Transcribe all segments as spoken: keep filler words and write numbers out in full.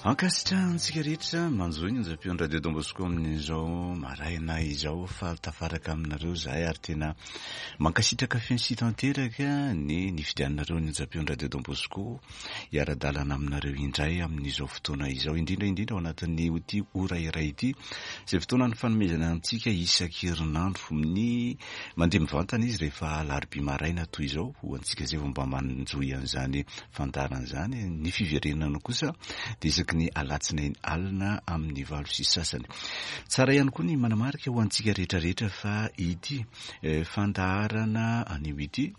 Ankasitrahantsika rehetra manjohy ny onjam-peon'ny Radio Don Bosco amin'izao maraina izao fa tafaraka aminareo zahay ary tena mankasitraka feno sy tanteraka ny nifidiananareo ny onjam-peon'ny Radio Don Bosco hiara-dalana aminareo indray amin'izao fotoana izao, indrindra indrindra ao anatin'ny ity ora iray ity izay fotoana ny fanomezana antsika isan-kerinandro. Ny mandeha mivantana izy rehefa alarobia maraina toy izao ho antsika izay vao mba manjohy an'izany fandaharana izany. Ny fiverenana kosa dia isaky ny alatsinainy alina amin'ny valo sy sasany. Tsara ihany koa ny manamarika ho antsika rehetrarehetra fa ity fandaharana anio ity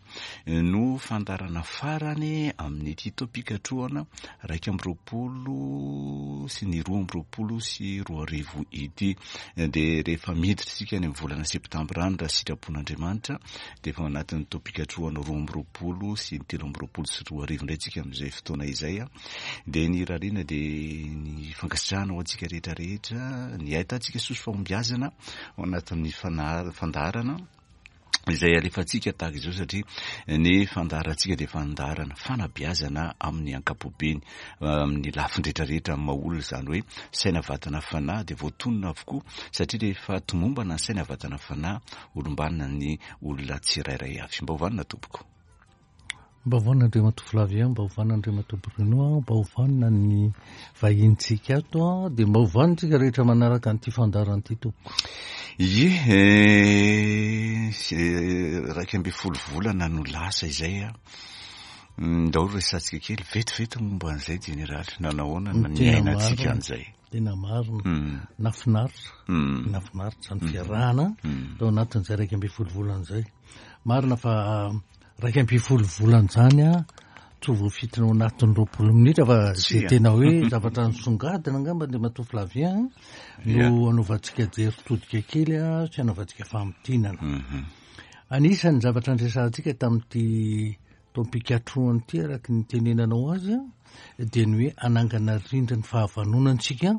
no fandaharana farany amin'ity taom-pikatrohana iraika amby roapolo sy ny roa amby roapolo sy roa arivo ity. Dia rehefa miditra isika any amin'ny volana septambra any raha sitrapon'Andriamanitra dia efa ao anatin'ny taom-pikatrohana roa amby roapolo sy ny telo amby roapolo sy roa arivo indray tsika amin'izay fotoana izay. Dia ny irariana dia ny fankasitrahana ho antsika rehetrarehetra, ny ahitantsika soa sy fahombiazana ao anatin'ny fandaharana izay alefantsika tahaka izao, satria ny fandaharantsika dia fandaharana fanabeazana amin'ny ankapobeny, amin'ny lafiny rehetrarehetra amin'ny maha olona, izany hoe saina, vatana, fanahy dia voatonona avokoa, satria rehefa tomombana ny saina, vatana, fanahy, olombanina ny olona tsirairay avy. Mba ho vanona tompoko. Mba ho vanona Andriamatoa Flavien, mba ho vanona Andriamatoa Bruno, mba ho vanona ny vahinintsika ato, dia mba ho vanona tsika rehetra manaraka an'ity fandaharana ity tompoko. Ie, iraika ambin'ny folo volana no lasa izay a. Ndao resahantsika kely vetivety momba an'izay jeneraly, nanahoana Ny ny tena niainantsika marina. an'izay. Tena marina, Mm. nafinaritra, Mm. nafinaritra ny fiarahana Mm. tao anatin'izay iraika ambin'ny folo volana izay. Marina fa iraika ambin'ny folo volana izany a, tsy ho voafintina ao anatin'ny roapolo minitra fa zay Tsia. tena hoe zavatra nisongadina angamba Andriamatoa Flavien no anaovantsika jery todika kely a sy anaovantsika famintinana. Mhm. Anisan'ny zavatra andresantsika tamin'ity taom-pikatrohana ity, araka ny tenenanao azy a, dia ny hoe anangana rindrin'ny fahavanonantsika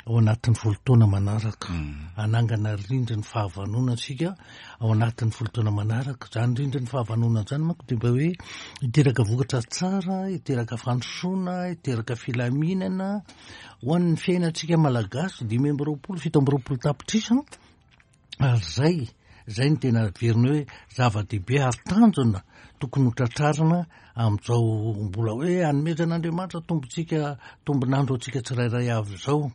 ao anatin'ny folo taona manaraka. Anangana rindrin'ny fahavanonantsika ao anatin'ny folo taona manaraka. Zany rindrin'ny fahavanonana zany manko dia mba hoe hiteraka vokatra tsara, hiteraka fandrosoana, hiteraka filaminana ho an'ny fiainantsika malagasy dimy amby roapolo, fito amby roapolo tapitrisa. Ary zay, zay no tena averina hoe zava-dehibe ary tanjona tokony ho tratrarina amin'izao mbola hoe anomezan'Andriamanitra tombontsika, tombon'andro antsika tsirairay avy izao.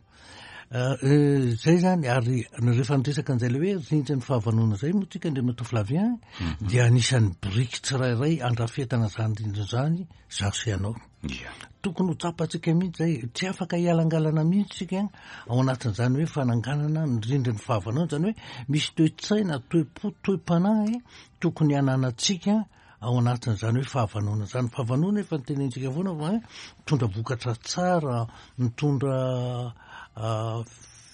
Eh, zay zany, ary rehefa niresaka an'izay le hoe rindrin'ny fahavanona zay moa tsika Andriamatoa Flavien, dia anisan'ny biriky tsirairay andrafetana zany rindrina zany zaho sy ianao. Ia. Tokony ho tsapantsika mihitsy zay, tsy afaka hialangalana mihitsy tsika ao anatin'izany hoe fananganana ny rindrin'ny fahavanona, zany hoe misy toe-tsaina, toe-po, toe-panahy tokony hananantsika ao anatin'izany hoe fahavanona zany. Fahavanona efa nitenentsika foana fa hoe mitondra vokatra tsara, mitondra ah,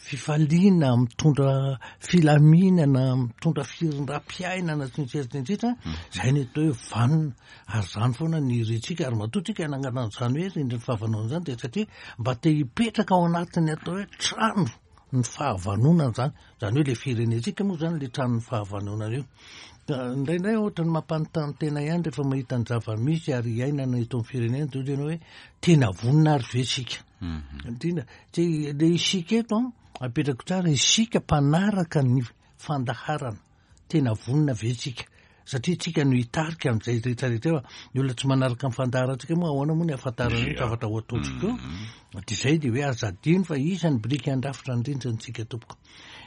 fifaliana, mitondra filaminana, mitondra firindram-piainana sy ny sisa sy ny sisa. Zay ny atao hoe vanona, ary zany foana ny irintsika. Ary matoa tsika hanangana an'izany hoe rindrin'ny fahavanona zany dia satria mba te hipetraka ao anatin'ny atao hoe trano ny fahavanonana zany, zany hoe le firenentsika moa zany le tranon'ny fahavanonana io. Ka indraindray ohatra ny mampanontany tena ihany rehefa mahita ny zava-misy ary iainana eto amin'ny firenena, dia tena hoe tena vonona ary ve isika? Indrindra tsy le isika eto a, apetrako tsara, isika mpanaraka ny fandaharana, tena vonona ve isika? Satria tsika no hitarika amin'izay rehetrarehetra eo. Ny olona tsy manaraka ny fandaharantsika moa ahoana moa ny ahafantarana ny Ia. zavatra ho ataontsika eo? Dia zay dia hoe aza adino fa isan'ny biriky andrafitra ny rindrintsika tompoko.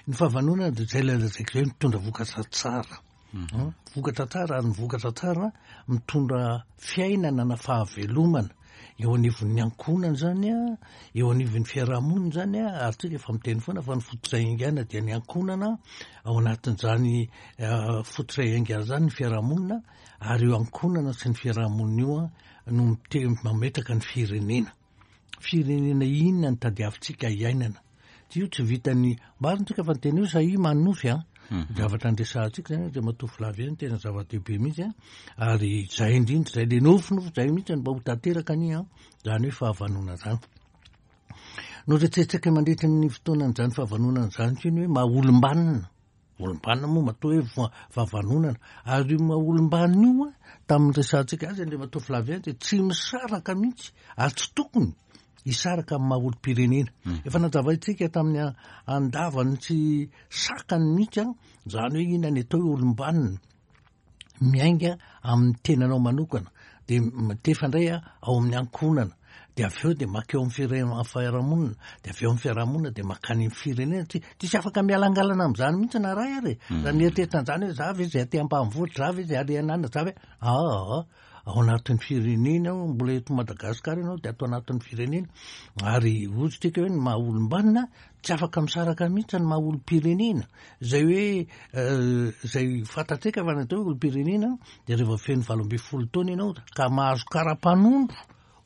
Ny fahavanonana dia zay ilay lazaiko zay, mitondra vokatra tsara. Hmm? Vokatra tsara, ary ny vokatra tsara mitondra fiainana na fahavelomana eo anivon'ny ankohonana zany a, eo anivon'ny fiarahamonina zany a. Ary tsika efa miteny foana fa ny fototra iaingana dia ny ankohonana, ao anatin'izany eh, fototra iaingana zany ny fiarahamonina, ary io ankohonana sy ny fiarahamonina io a no mite- mametraka ny firenena. Firenena inona ny tadiavintsika iainana? Io tsy vitany marina tsika fa ny tena io sahi manonofy a. Zavatra andresahantsika zany Andriamatoa Flavien tena zava-dehibe mihitsy a, ary zay indrindra zay le nofinofy zay mihitsy no mba ho tanteraka ani a, zany hoe fahavanona zany. Noretsentsika mandritra ny fotoanan'izany fahavanonana zany koa ny hoe maha olom-banona. Olom-banona moa matoa hoe va- fahavanonana, ary io maha olom-banona io a, tamin'ny resahantsika azy Andriamatoa Flavien dia tsy misaraka mihitsy ary tsy tokony hisaraka amin'ny maha olom-pirenena. Efa nazavaintsika tamin'ny andavany sy sakany mihitsy an, zany hoe inona ny atao hoe olom-banona, miainga amin'ny tenanao manokana, de mitefa indray a ao amin'ny ankohonana, de avy eo de makeo amin'ny fire- fiarahamonina, de avy eo amin'ny fiarahamonina de makany amin'ny firenena. Tsy tsisy afaka mialangalana amin'izany mihitsy na ray ary e. Raha mieritreritra an'izany hoe za ve zay aty ambanivohitra, za ve zay ary anana, za ve aa ao anatin'ny firenena ao, mbola eto Madagasikara ianao de ato anatin'ny firenena. Ary ozy tsika hoe ny maha olom-banona tsy afaka misaraka mihitsy ny maha olom-pirenena. Zay hoe zay fantatsika fa ny atao hoe olom-pirenena de rehefa feno valo ambin'ny folo taona ianao ka mahazo kara-panondro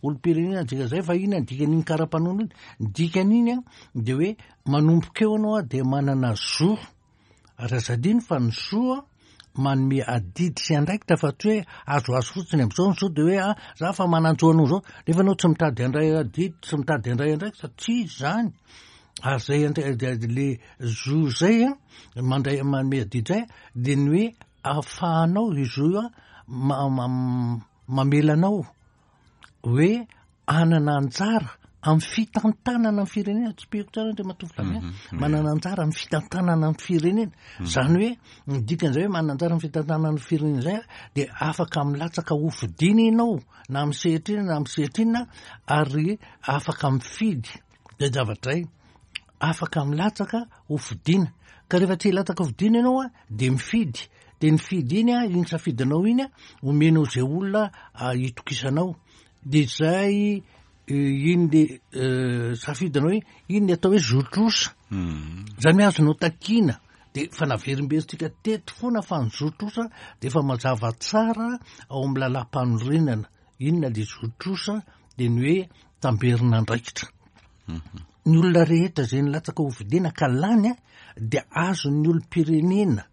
olom-pirenena dika zay. Fa inona ny dikan'iny kara-panondro iny? Ny dikan'iny a de hoe manomboka eo ianao a de manana zo, ary aza adino fa ny zo a manome adidy sy andraikitra, fa tsy hoe azoazo fotsiny am'izao ny zo de hoe a za fa manan-jo anao zao, nefa anao tsy mitady andray adidy, tsy mitady andray andraikitra, tsy izy zany. Ary zay andray le zo zay a mandray manome adidy zay de ny hoe ahafahanao io zo io a mamela anao hoe anana anjara amin'ny fitantanana ny firenena. Tsy peko tsara Andriamatoa Flavien, manana anjara amin'ny fitantanana ny firenena. Zany hoe ny dikan'izay hoe manana anjara amin'ny fitantanana ny firenena zay de afaka milatsaka hofidina ianao na amin'ny sehatra inona na amin'ny sehatra inona, ary afaka mifidy zay zavatra zay, afaka milatsaka hofidina. Ka rehefa tsy hilatsaka hofidina ianao a de mifidy, de ny fidy iny a, iny safidinao iny a omenao zay olona hitokisanao, de zay iny le safidinao hoe iny ny atao hoe zotrosa. Zany hoe azonao takiana, de fa naverimberitsika teto foana fa ny zotrosa de efa mazava tsara ao amin'ny lalam-panorenana. Inona le zotrosa? De ny hoe tamberina andraikitra. Ny olona rehetra zay nilatsaka hofidina ka lany a de azon'ny olom-pirenena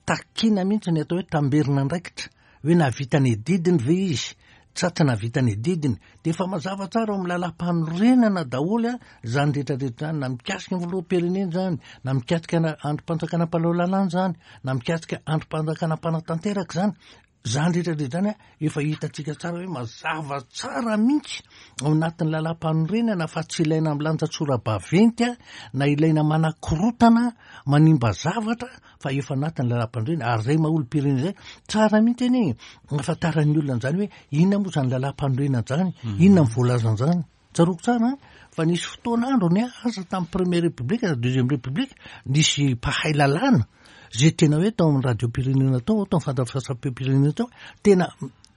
takiana mihitsy ny atao hoe tamberina andraikitra, hoe nahavita ny adidiny ve izy sa tsy nahavita ny adidiny. De efa mazava tsara ao amin'ny lalam-panorenana daholo a zany rehetrarehetra zany, na mikasika ny filoham-pirenena zany, na mikasika andrim-panjakana mpanao lalàna zany, na mikasika andrim-panjakana mpanatanteraka zany. Zany rehetrarehetra zany a efa hitantsika tsara hoe mazava tsara mihitsy ao anatin'ny lalam-panorenana, fa tsy ilaina milanja tsora-baventy a na ilaina manakorotana manimba zavatra, fa efa anatin'ny lalam-panorenana. Ary zay maha olom-pirenena zay tsara mihitsy anie ahafantaran'ny olona an'izany hoe inona moa zany lalam-panorenana zany, inona ny voalazan'izany. Tsaroako tsara fa nisy fotoana androny aza tamin'ny première république na deuxième république nisy mpahay lalàna zay tena hoe tao amin'ny radio-pirenena tao, tao amin'ny fandefasam-peo-pirenena tao, tena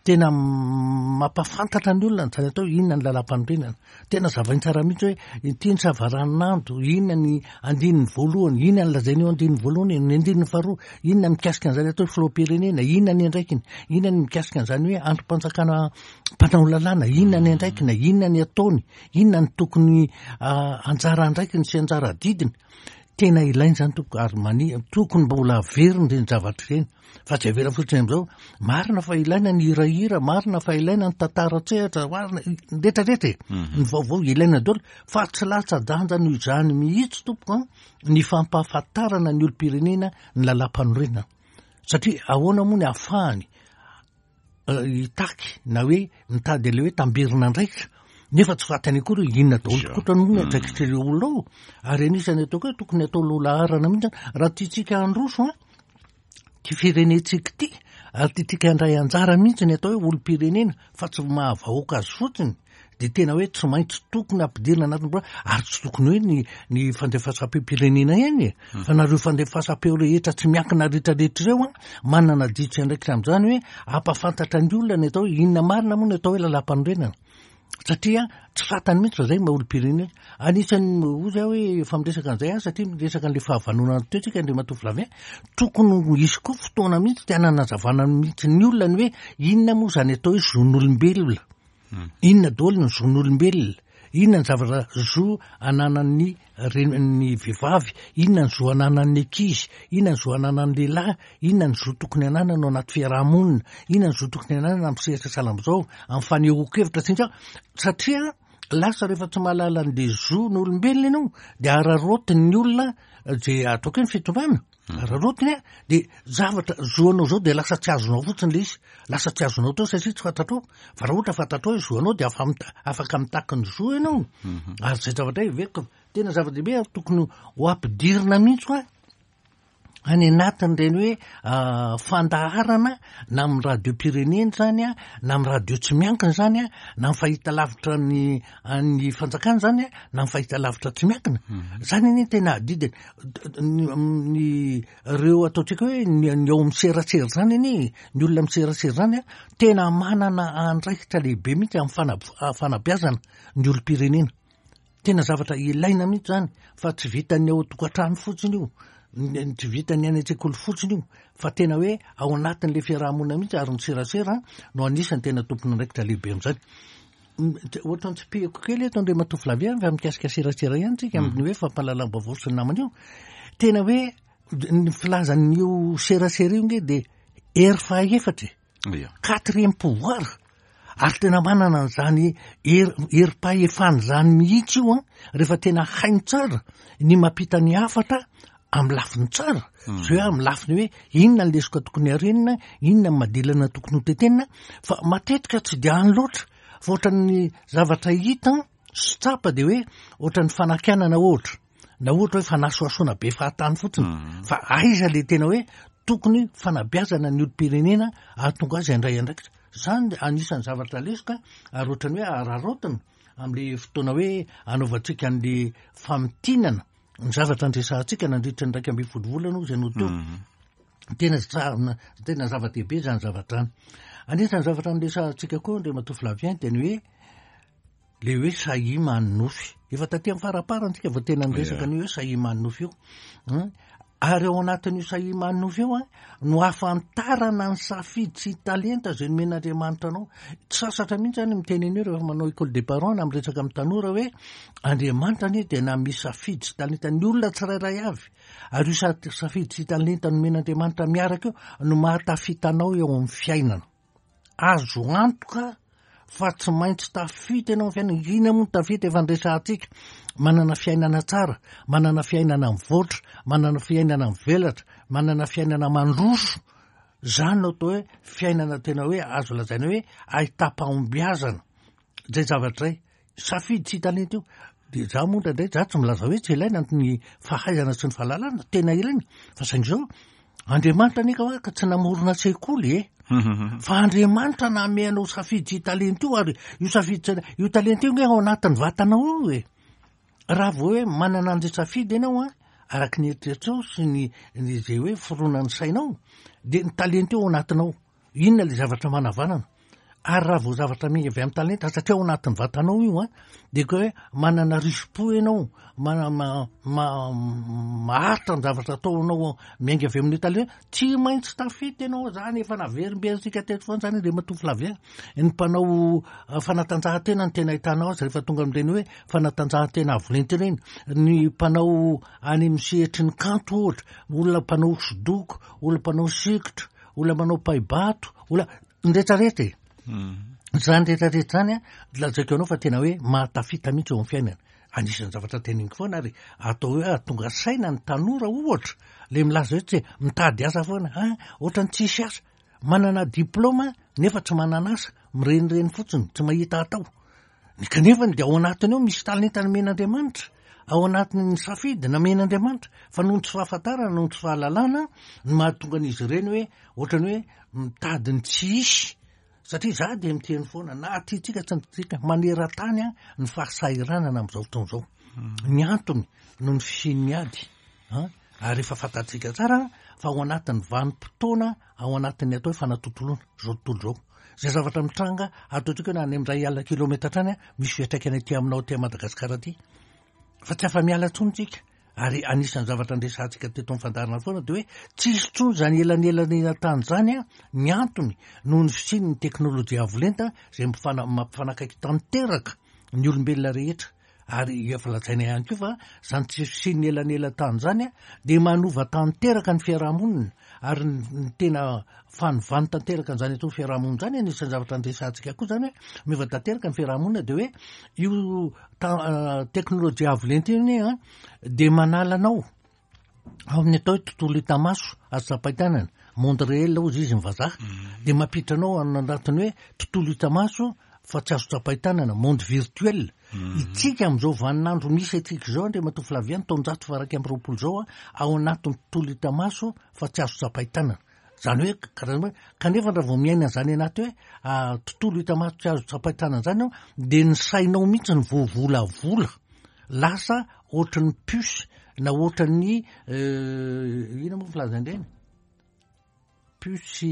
tena mampahafantatra ny olona zany atao inona ny lalam-panorenana. Tena zavainy tsara mihitsy hoe ity ny savaranando, inona ny andininy voalohany, inona ny lazainy eo andininy voalohany, ny andininy faharoa, inona mikasika an'izany atao hoe filoham-pirenena, inona ny andraikiny, inona ny mikasika an'izany hoe andrim-panjakana mpanao lalàna, inona ny andraikiny, inona ny ataony, inona ny tokony anjara andraikiny sy anjara adidiny. Tena ilaina zany tompoko, ary mani tokony mbola averina ireny zavatra ireny, fa tsy avela fotsiny am'izao. Marina fa ilaina ny hirahira, marina fa ilaina ny tantara an-tsehatra, marina rehetrarehetra e, ny vaovao ilaina daholo, fa tsy latsa-danja noho izany mihitsy tompoko a ny fampahafantarana ny olom-pirenena ny lalam-panorenana. Satria ahoana moa ny ahafahany hitaky na hoe mitady an'ilay hoe tamberina andraikitra, nefa tsy fantany akory hoe inona daholo tokoa no andraikitra ireo olona ao. Ary anisan'ny ataoko hoe tokony atao lohalaharana mihitsy raha tiantsika handroso a ty firenentsika ity, ary tiantsika handray anjara mihitsy ny atao hoe olom-pirenena fa tsy mahavahoaka azy fotsiny, de tena hoe tsy maintsy tokony ampidirina anatin'ny boa. Ary tsy tokony hoe ny ny fandefasam-peo-pirenena ihany e, fa nareo fandefasam-peo rehetra tsy miankina rehetrarehetra ireo a manana adidy sy andraikitra amin'izany hoe ampahafantatra ny olona ny atao hoe inona marina moa ny atao hoe lalam-panorenana, satria tsy fantany mihitsy fa zay maha olom-pirenena. Anisan'ny ozy aho hoe efa miresaka an'izay aho, satria miresaka an'le fahavanonana teo tsika Andriamatoa Flavien, tokony hisy koa fotoana mihitsy tena hanazavana mihitsy ny olona ny hoe inona moa zany atao hoe zon'olombelona, inona daholo ny zon'olombelona, inona ny zavatra zo ananan'ny reny ny vehivavy, inona ny zo ananan'ny ankizy, inona ny zo ananan'ny lehilahy, inona ny zo tokony ananana ao anaty fiarahamonina, inona ny zo tokony ananana amin'ny sehatra sahala amin'izao, amin'ny fanehoan-kevitra sy ny sisa. Satria lasa rehefa tsy mahalala an'le zon'olombelona ianao de araraotin'ny olona zay ataoko hoe ny fitondrana. Araraotiny a de zavatra zoanao zao de lasa tsy azonao fotsiny le izy, lasa tsy azonao tao satria tsy fantatrao. Fa raha ohatra fantatrao hoe zoanao de afa mita- afaka mitaky ny zo ianao. Ary zay zavatra heveriko tena zava-dehibe ary tokony ho ampidirina mihitsy hoa any anatin'ireny hoe fandaharana, na amin'ny radio-pirenena zany a, na amin'ny radio tsy miankina zany a, na amin'ny fahita lavitra ny an'ny fanjakana zany a, na amin'ny fahita lavitra tsy miankina zany. Anie tena adidiny ny reo ataontsika hoe ny ny ao amin'ny serasera zany anie, ny olona miserasera zany a, tena manana andraikitra lehibe mihitsy amin'ny fana- fanabeazana ny olom-pirenena. Tena zavatra ilaina mihitsy zany, fa tsy vitan'ny ao tokantrano fotsiny io, tsy vitan'ny any an-tsekoly fotsiny io, fa tena hoe ao anatin'le fiarahamonina mihitsy. Ary ny serasera no anisan'ny tena tompon'andraikitra lehibe am'izany. Ohatra ny tsipihako kely eto, Andriamatoa Flavien, fa mikasika serasera ihany tsika, amin'ny hoe fampahalalam-baovao sy ny namana io, tena hoe ny filazan'io serasera io nge de hery fahaefatra, quatrième pouvoir, ary tena manana an'izany hery herim-pahefana zany mihitsy io a, rehefa tena hainy tsara ny mampita ny hafatra amin'ny lafiny tsara, zay hoe amin'ny lafiny hoe inona ny lesoka tokony arenina, inona ny madilana tokony ho tetenina. Fa matetika tsy de any loatra, fa ohatran'ny zavatra hita sy tsapa de hoe ohatran'ny fanakianana ohatra, na ohatra hoe fanasoasoana be fahatany fotsiny. Fa aiza le tena hoe tokony fanabeazana ny olom-pirenena ahatonga azy andray andraikitra zany? Anisan'ny zavatra lesoka ary ohatrany hoe araraotina am'le fotoana hoe anaovantsika an'le famintinana ny zavatra andresantsika nandritra ny raiky amby folo volana o zay no teo. Tena tsa- tena zava-dehibe zany zavatra any. Anisan'ny zavatra nresantsika koa, Andriamatoa Flavien, de ny hoe le hoe sahia manonofy. Efa taty amin'ny faraparantsika vao tena niresaka ny hoe sahia manonofy io. Ary ao anatin'io sahia manonofy io a no ahafantarana ny safidy sy talenta zay nomen'Andriamanitra anao. Tsy sasatra mihitsy zany miteny an'io rehefa manao école des parents na miresaka amin'ny tanora hoe Andriamanitra anie tena misy safidy sy talenta ny olona tsirairay avy, ary io sa- safidy sy talenta nomen'Andriamanitra miaraka io no mahatafitanao eo amin'ny fiainana. Azo antoka fa tsy maintsy tafita ianao amin'ny fiainana. Ina moa ny tafita efa ndresantsika? Manana fiainana tsara, manana fiainana mivoatra, manana fiainana mivelatra, manana fiainana mandroso. Zany no atao hoe fiainana tena hoe azo lazaina hoe ahitam-pahombiazana zay zavatra zay, safidy sy talenta io. De za moa indraindray za tsy milaza hoe tsy ilaina ny fahaizana sy ny fahalalana, tena ilaina, fa saingy zao, Andriamanitra anie ka hoe ka tsy namorona sekoly e, fa Andriamanitra nameanao safidy sy talenta io, ary io safidy sy io talenta io nge ao anatin'ny vatanao io e. Raha vao hoe manana an'zay safidy ianao a, araky ny eritreritrao sy ny ny zay hoe fironan'ny sainao, de ny talenta io ao anatinao, inona le zavatra manavanana? Ary raha vao zavatra minga avy amin'ny talenta, satria ao anatin'ny vatanao io a, de ko hoe manana risi-po ianao, mana ma ma maharitra ny zavatra ataonao miainga avy amin'io talenta, tsy maintsy tafita ianao zany. Efa naverimberitsika teto foana zany, Andriamatoa Flavien. Ny mpanao fanatanjahantena ny tena ahitanao azy rehefa tonga amin'ireny hoe fanatanjahantena avo lenta ireny, ny mpanao any amin'ny sehatry ny kanto ohatra, olona mpanao hosodoko, olona mpanao sikotra, olona manao paibato, olona ny rehetrarehetra e, zany rehetrarehetra zany a, lazaiko anao fa tena hoe mahatafita mihitsy eo amin'ny fiainana. Anisan'ny zavatra teneniko foana ary atao hoe ahatonga saina ny tanora ohatra le milaza hoe tsy mitady asa foana a, ohatrany tsisy asa, manana diplôma nefa tsy manana asa, mirenireny fotsiny, tsy mahita atao ny, kanefany de ao anatiny ao misy talenta nomen'Andriamanitra, ao anatin'ny safidy namen'Andriamanitra, fa noho ny tsy fahafantarana, noho ny tsy fahalalana no mahatonga an'izy ireny hoe ohatrany hoe mitady ny tsy isy. Satria za de miteny foana, na tiatsika tsy ntsika, maneran-tany a ny fahasahiranana am'izao fotoana zao. Ny antony noho ny fisian'ny ady a, ary efa fantatsika tsara fa ao anatin'ny vanim-potoana, ao anatin'ny atao hoe fanatontoloana zao tontolo zao, zay zavatra mitranga ataontsika hoe na any amin'ray alina kilometatra any a, misy fiantraikany aty aminao aty Madagasikara aty, fa tsy afa-miala ntsony tsika. Ary anisan'ny zavatra andresantsika teto amin'ny fandaharana foana de hoe tsisy tsony zany elanelanena tany zany a. Ny antony noho ny fisian'ny teknôlôjia avo lenta zay mifana- mampifanakaiky tanteraka ny olombelona rehetra. Ary efa lazaina ihany koa fa zany tsy fisian'ny elanelan-tany zany a de manova tanteraka ny fiarahamonina, ary ny tena fanovany tanteraka an'izany atao fiarahamonina zany, anisan'ny zavatra andresantsika koa zany hoe miova tanteraka ny fiarahamonina, de hoe io ta- teknôlôjia avo lenta io anie a de manala anao Ao amin'ny atao hoe tontolo hita maso azo tsapain-tanana, monde réel hozy izy ny vazaha, de mampiditra anao anatiny hoe tontolo hita maso fa tsy azo tsapain-tanana, monde virtuel. Itsika amin'izao vaninandro misy atsika izao, Andriamatoa Flavien, taonjato faha-iraika amby roapolo izao a, ao anatin'ny tontolo hita maso fa tsy azo tsapain-tanana. Zany hoe karazana hoe kanefa raha vao miaina zany anaty hoe tontolo hita maso tsy azo tsapain-tanana zany ao, de ny sainao mihitsy ny voavolavola lasa ohatran'ny puce na ohatran'ny ina moa filazan-dreny puce,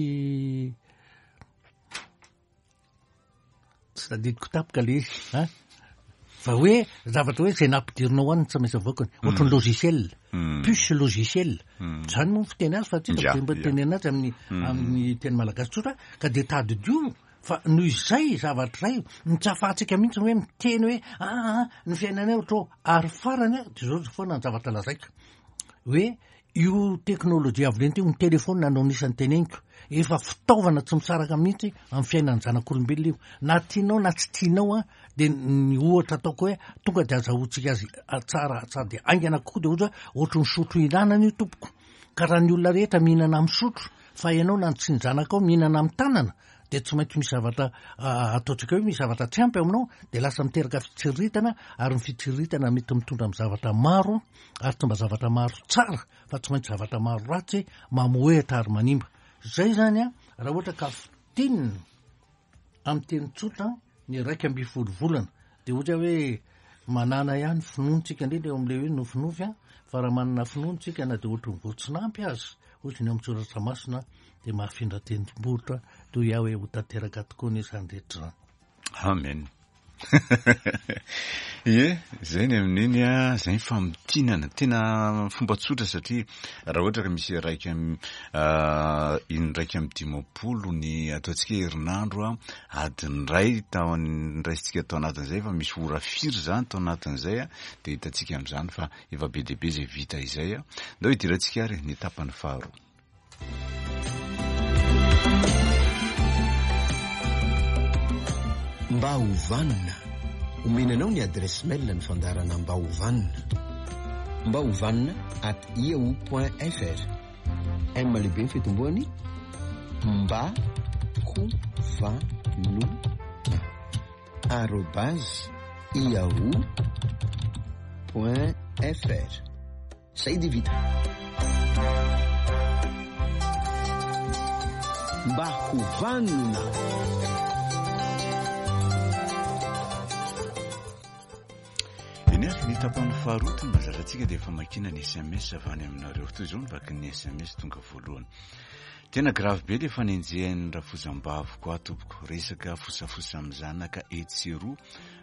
tsy tadidiko tampoka le izy a, fa hoe zavatra hoe zay nampidirinao any tsy maintsy avoakany, ohatran'ny logiciel, puce logiciel zany moa fiteny azy, fa tsy hitako mba teny anazy amin'ny amin'ny teny malagasy tsotra. Ka de tadidio fa noho izay zavatra zay ny tsy ahafahantsika mihitsy hoe miteny hoe aa ny fiainanay ohatra ao. Ary farany a, de zao foana ny zavatra lazaiko hoe io teknôlôjia avo lenta io, ny telefôna no anisan'ny teneniko, efa fitaovana tsy misaraka mihitsy amin'ny fiainan'ny zanak'olombelona io, na tianao na tsy tianao a. De ny ohatra ataoko hoe tonga de azahoantsika azy tsara sady haingana kokoa, de ohatra hoe ohatry ny sotro ihinanana io tompoko, ka raha ny olona rehetra mihinana amin'ny sotro fa ianao na tsy ny zanakao mihinana amin'ny tanana, de tsy maintsy misy zavatra ataontsika hoe misy zavatra tsy ampy aminao, de lasa miteraka fitsiriritana, ary ny fitsiriritana mety mitondra amin'ny zavatra maro, ary tsy mba zavatra maro tsara fa tsy maintsy zavatra maro ratsy mamohehatra ary manimba. Zay zany a, raha ohatra ka fintinina amin'ny teny tsotra ny iraika amby folo volana, de ohatra hoe manana ihany finoantsika, indrindra eo amin'ilay hoe nofinofy a, fa raha manana finoantsika na de ohatry ny voatsinampy azy ohatry ny eo amin'ny soratra masina, de mahafindra tendrombohitra toy aho hoe ho tanteraka tokoa ny izany rehetra zany. Amen. Ie, zay ny amin'iny a, zay ny famintinana tena fomba tsotra, satria raha ohatra ka misy iraika indraika amby dimampolo ny ataontsika herinandro a, adiny iray tao nraisintsika tao anatin'izay, fa misy ora firy zany tao anatin'izay a, de hitantsika amin'izany fa efa be dia be zay vita izay a. Ndao hidirantsika ary ny tapany faharoa. Mba ho vanona. Omena anao ny adresse mail ny fandaharana Mba ho vanona. Mba ho vanona at yahoo point fr. M lehibe ny fitomboany, mba ho vanona arobase yahoo point fr. Zay de vita. Mba ho vanona. Eny ary ny tapany faharoa toy ny mahazatra antsika dia famakiana ny S M S avy any aminareo. Toy izao ny vakin'ny S M S tonga voalohany. Tena grave be le fanenjehan'ny rafozam-baviko aho tompoko. Resaka fosafosa amin'ny zanaka etsy sy eroa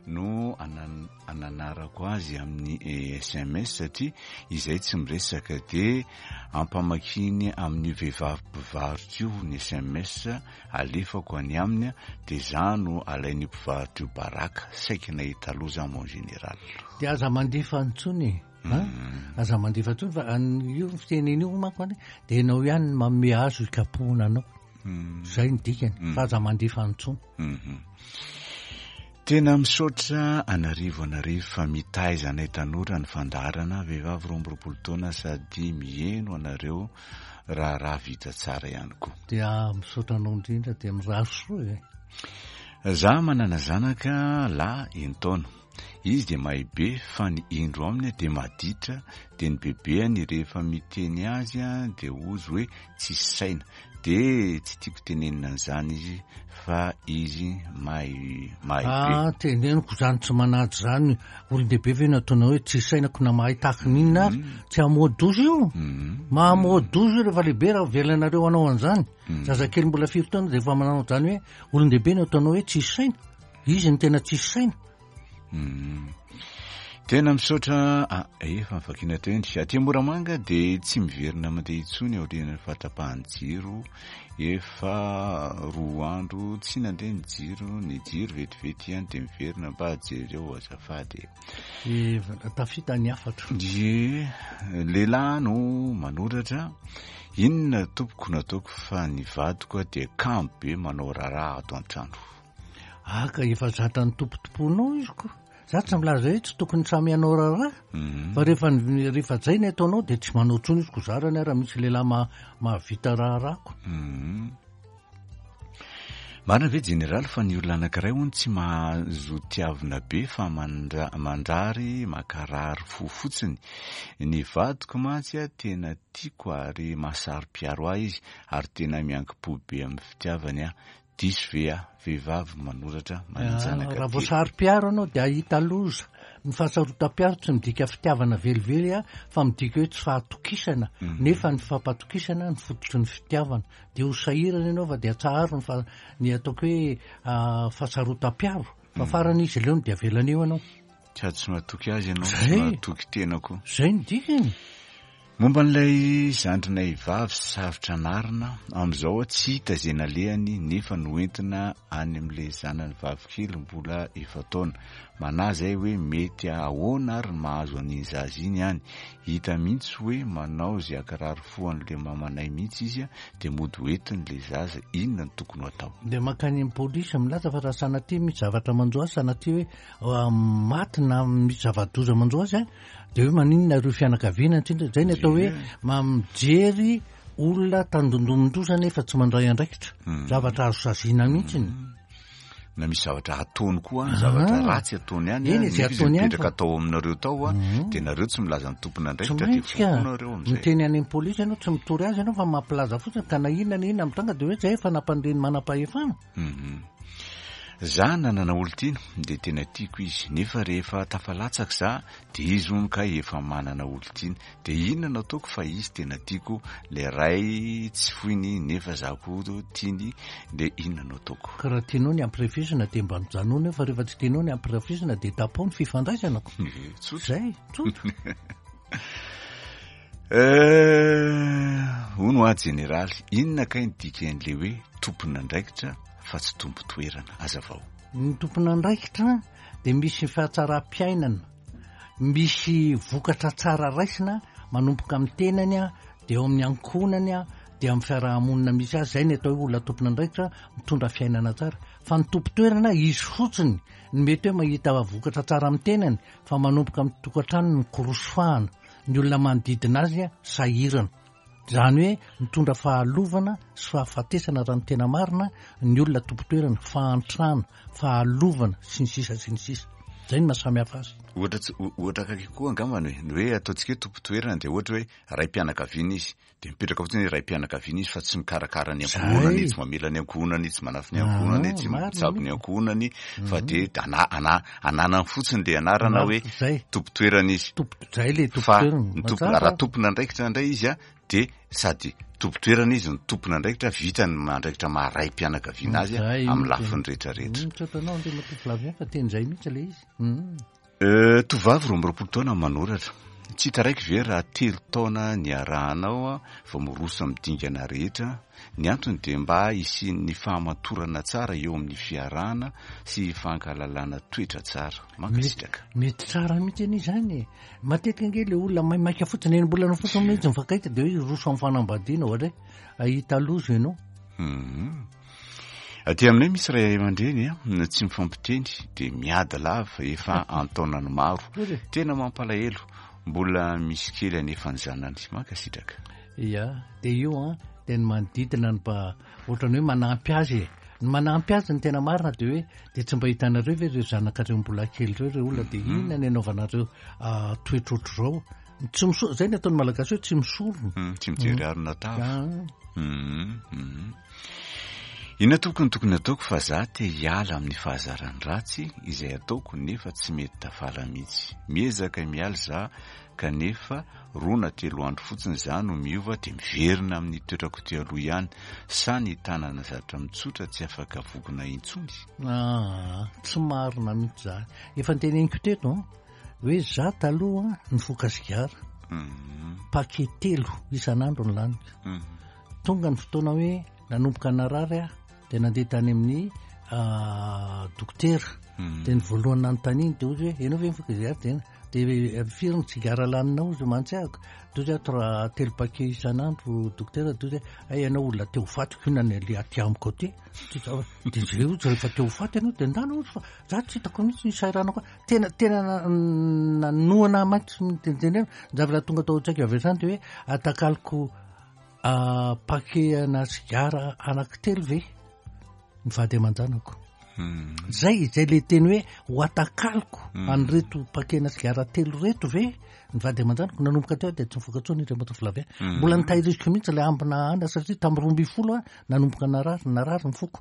no anan-, ananarako azy amin'ny S M S, satria izay tsy miresaka de ampamakiny amin'ny vehivavy mpivarotra io ny S M S alefako any aminy, de za no alain'io mpivarotra io baraka, saika nahita loza mon général. De aza mandefa intsony e. Ha? Aza mandefa intsony fa an-, io fitenena io manko any, de ianao ihany no manome azo hikapohana anao. Mm. Zay ny dikany, Mm. fa aza mandefa intsony. Mm-hmm. Tena misaotra anarivo anarivo fa mitaiza anay tanora ny fandaharana, vehivavy roa amby roapolo taona sady miheno anareo raharaha vita tsara ihany koa. Dia misaotra anao indrindra, dia mirary soa e. Za manana zanaka lahy enin-taona. Izy dia mahay be fa ny indro aminy dia maditra, dia ny bebeany rehefa miteny azy dia hozy hoe tsisy saina, dia tsy tiako tenenina an'izany izy fa izy mahay, mahay be. Ah, teneniko zany tsy manaja zany. Olon-dehibe ve no ataonao hoe tsisy saina ko na mahay tahaka ny inona ary? Mm. Tsy hamoa-doza io. Mm. Mahamoa-doza io rehefa lehibe raha avelanareo hanao an'izany. Mm. Zazakely mbola firy taona dia efa manao an'izany hoe olon-dehibe no ataonao hoe tsisy saina. Izy no tena tsisy saina. Mm. Tena misaotra, ah, efa nivakina teo indry. Aty Moramanga dia tsy miverina mandeha intsony aorian'ny fahatapahan'ny jiro. Efa roa andro tsy nandeha ny jiro, ny jiro vetivety ihany dia miverina. Mba jereo azafady. E, tafita ny hafatra. Ie, lehilahy no manoratra. Inona tompoko nataoko fa ny vadiko dia kamo be manao raharaha ato an-trano. Ah, ka efa zatra ny tompotomponao izy ko. Za tsy milaza hoe tsy tokony samy hanao raharaha, Mhm. fa rehefa ny- rehefa zay ny ataonao de tsy manao intsony izy, ko zarany raha misy lehilahy ma- mahavita raharahako. Mhm. Marina ve jeneraly fa ny olona anankiray hono tsy mahazo tiavina be fa mandra- mandrary makarary fo fotsiny? Ny vadiko mantsy a tena tiako ary mahasaro-piaro ahy izy ary tena miankim-po be amin'ny fitiavany aho. Diso ve aho? Vehivavy manoratra manan-janaka Raha vao telo. saro-piaro anao de ahita loza. Ny fahasarotam-piaro tsy midika fitiavana velively a, fa midika hoe tsy fahatokisana. Nefa ny fampatokisana ny fototry ny fitiavana. De ho sahirana ianao fa de atsaharo ny fa- ny ataoko hoe ah, fahasarotam-piaro. Fa farany izy leony de avelany eo ianao. Sady tsy matoky azy ianao, Zay. tsy matoky tena koa. Zay ny dikany. Momba an'ilay zandrinay vavy sarotra anarina, amin'izao tsy hita izay nalehany nefa noentina any amin'ilay zanany vavikely mbola efa-taona. Manahy izay hoe mety ahoana ary ny mahazo an'iny zaza iny any. Hita mihitsy hoe manao izay hakarary fo an'ilay mamanay mihitsy izy dia mody hoentiny ilay zaza. Inona no tokony ho atao? De mankany amin'ny polisy milaza fa raha sanatria misy zavatra manjo azy, sanatria hoe ah, maty na misy zava-doza manjo azy a, de hoe maninona ireo fianakaviana tsindra. Zay ny atao hoe ma- mijery olona tandindomin-doza nefa tsy mandray andraikitra. Zavatra azo saziana mihitsiny. Na misy zavatra ataony koa any, zavatra Ah. ratsy ataony any, Eny, a, izay nefa izy ataony ihany mipetraka fa- tao aminareo tao a, dia nareo tsy milaza ny Tsy tompon'andraikitra dia maintsy ka vonoinareo amin'izay. miteny any amin'ny polisy ianao, tsy mitory azy ianao fa mampilaza fotsiny, ka na inona na inona mitranga de hoe zay efa nampandre ny manam-pahefana. Mhm. Za nanana olon-tiana dia tena tiako izy, nefa rehefa tafalatsaka za dia izy hono ka efa manana olon-tiana. Dia inona no ataoko fa izy tena tiako, le ray tsy foiny nefa za koa tiany, dia inona no ataoko? Ka raha tianao ny ampirafisina dia mba mijanona eo, fa rehefa tsy tianao ny ampirafisina dia tapaho ny fifandraisana ko. Eh, tsotra. Zay, tsotra. Eh, hono aho jeneraly, inona kay ny dikan'ilay hoe tompon'andraikitra fa tsy tompo-toerana? Azavao. Ny tompon'andraikitra dia misy fahatsaram-piainana, misy vokatra tsara raisina manomboka amin'ny tenany a, dia eo amin'ny ankohonany a, dia amin'ny fiarahamonina misy azy. Zay ny atao hoe olona tompon'andraikitra mitondra fiainana tsara. Fa ny tompo-toerana izy fotsiny ny mety hoe mahita vokatra tsara amin'ny tenany, fa manomboka amin'ny tokantrano ny korosofahana, ny olona manodidina azy a sahirana. Zany hoe mitondra fahalovana sy fahafatesana raha ny tena marina ny olona tompo-toerana, fahantrana, fahalovana sy ny sisa sy ny sisa. Zay no mahasamihafa azy. Ohatra tsy- o- ohatra akaiky koa angambany hoe, ny hoe ataontsika hoe tompo-toerana dia ohatra hoe ray-pianakaviana izy, dia mipetraka fotsiny hoe ray-pianakaviana izy fa tsy mikarakara ny ankohonany, Zay. tsy mamela ny ankohonany, tsy manafy ny ankohonany, Ah, tsy marina mitsabo ny mihitsy. ankohonany, fa dia ana- ana- ananany fotsiny le anarana hoe Zay. tompo-toerana izy. Tompo, zay le Fa tompo-toerana. ny tompo- Mazava. raha tompon'andraikitra indray izy a, dia sady tompo-toerana izy no tompon'andraikitra, vita ny andraikitra maha ray-pianakaviana azy a, Zay amin'ny mihitsy. lafiny rehetrarehetra. Mm, Misaotra anao Andriamatoa Flavien fa teny zay mihitsy le izy. Mm. Eh, tovovavy roa amby roapolo taona manoratra. Tsy taraiky ve raha telo taona niarahanao a, vao miroso amin'ny dingana rehetra? Ny antony dia mba hisian'ny fahamatorana tsara eo amin'ny fiarahana sy fankalalana toetra tsara. Mankasitraka. Mety tsara mihitsy anie izany e. Matetika ange le olona maimaika fotsiny, enim-bolana fotsiny mihitsy mifankaita dia hoe hiroso amin'ny fanambadiana ohatra hoe ahita loza ianao. Mhm. Aty aminay misy ray aman-dreny a, tsy mifampiteny dia miady lava efa an-taonany maro. Ory. Tena mampalahelo, mbola misy kely anefa ny zanany. Mankasitraka. Ia, dia io a, dia ny manodidina ny mba ohatrany hoe manampy azy e. Ny manampy azy ny tena marina dia hoe dia tsy mba hitanareo ve ireo zanakareo mbola kely ireo, ireo olona dia inona ny anaovanareo ah, toetra ohatr'izao. Tsy miso- zay ny ataon'ny Malagasy hoe tsy misorona. Mm, tsy mijery arina tava. Ah. Mhm, mhm. Inona tompoko no tokony ataoko fa za te hiala amin'ny fahazarany ratsy izay ataoko nefa tsy mety tafala mihitsy. Miezaka miala za kanefa roa na telo andro fotsiny za no miova dia miverina amin'ny toetrako teo aloha ihany. Sa ny tanana zatra mitsotra tsy afaka vokona intsony? Ah, tsy marina mihitsy zany. Efa noteneniko teto an, hoe za taloha nifoka sigara. Mhm, Paquet telo isan'andro ny laniko. mhm. Tonga ny fotoana hoe nanomboka narary aho dia nandeha tany amin'ny ah, dokotera. Mhm. Dia ny voalohany nanontaniany dia hoy izy hoe ianao ve mifoka sigara? Dia De firy ny sigara laninao izy mantsy ahako? De ozy aho telo paquet isan'andro dokotera. De ozy ay ianao olona te ho faty ko inona le aty amiko aty? De zay ozy rehefa te ho faty ianao de ndana ozy, fa za tsy hitako mihitsy ny sairana koa. Tena tena nanohana mantsy nitenitenena. Ny zavatra tonga tao an-tsaiko avy hatrany de hoe atakaloko paquet ana sigara anankitelo ve ny vady aman-janako? Zay zay le teny hoe ho atakaloko an'ireto paquet na sigara telo reto ve ny vady aman-janako? Nanomboka teo de tsy nifoka intsony Andriamatoa Flavien. Mbola nitahiriziko mihitsy le ambina ana, satria tamin'ny roa ambin'ny folo a nanomboka narary narary ny foko,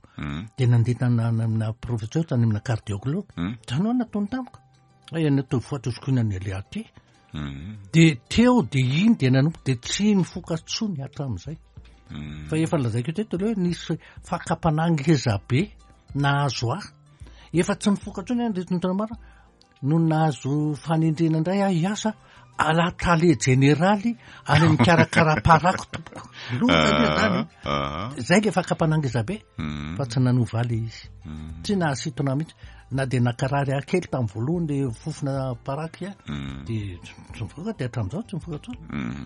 de nandeha amina professeur tany amina cardiologue. Zany hoe nataony tamiko ay ianao te ho faty ozy ko inona ny ale aty? De teo de iny de nanomboka de tsy nifoka intsony hatramin'izay. Fa efa lazaiko teto aloha hoe nisy fakam-panahy ngeza be nahazo ahy, efa tsy nifoka intsony aho ndreto ny mara no nahazo fanendrena indray aho hiasa ala tale jeneraly any amin'ny karakara paraky tompoko. Loza zany zay le fakam-panahy ngeza be, fa tsy nanova le izy, tsy nahasintona mihitsy na de nakarary ahy kely tamin'ny voalohany le fofona paraky a, de tsy mifoka, de hatramin'izao tsy mifoka intsony.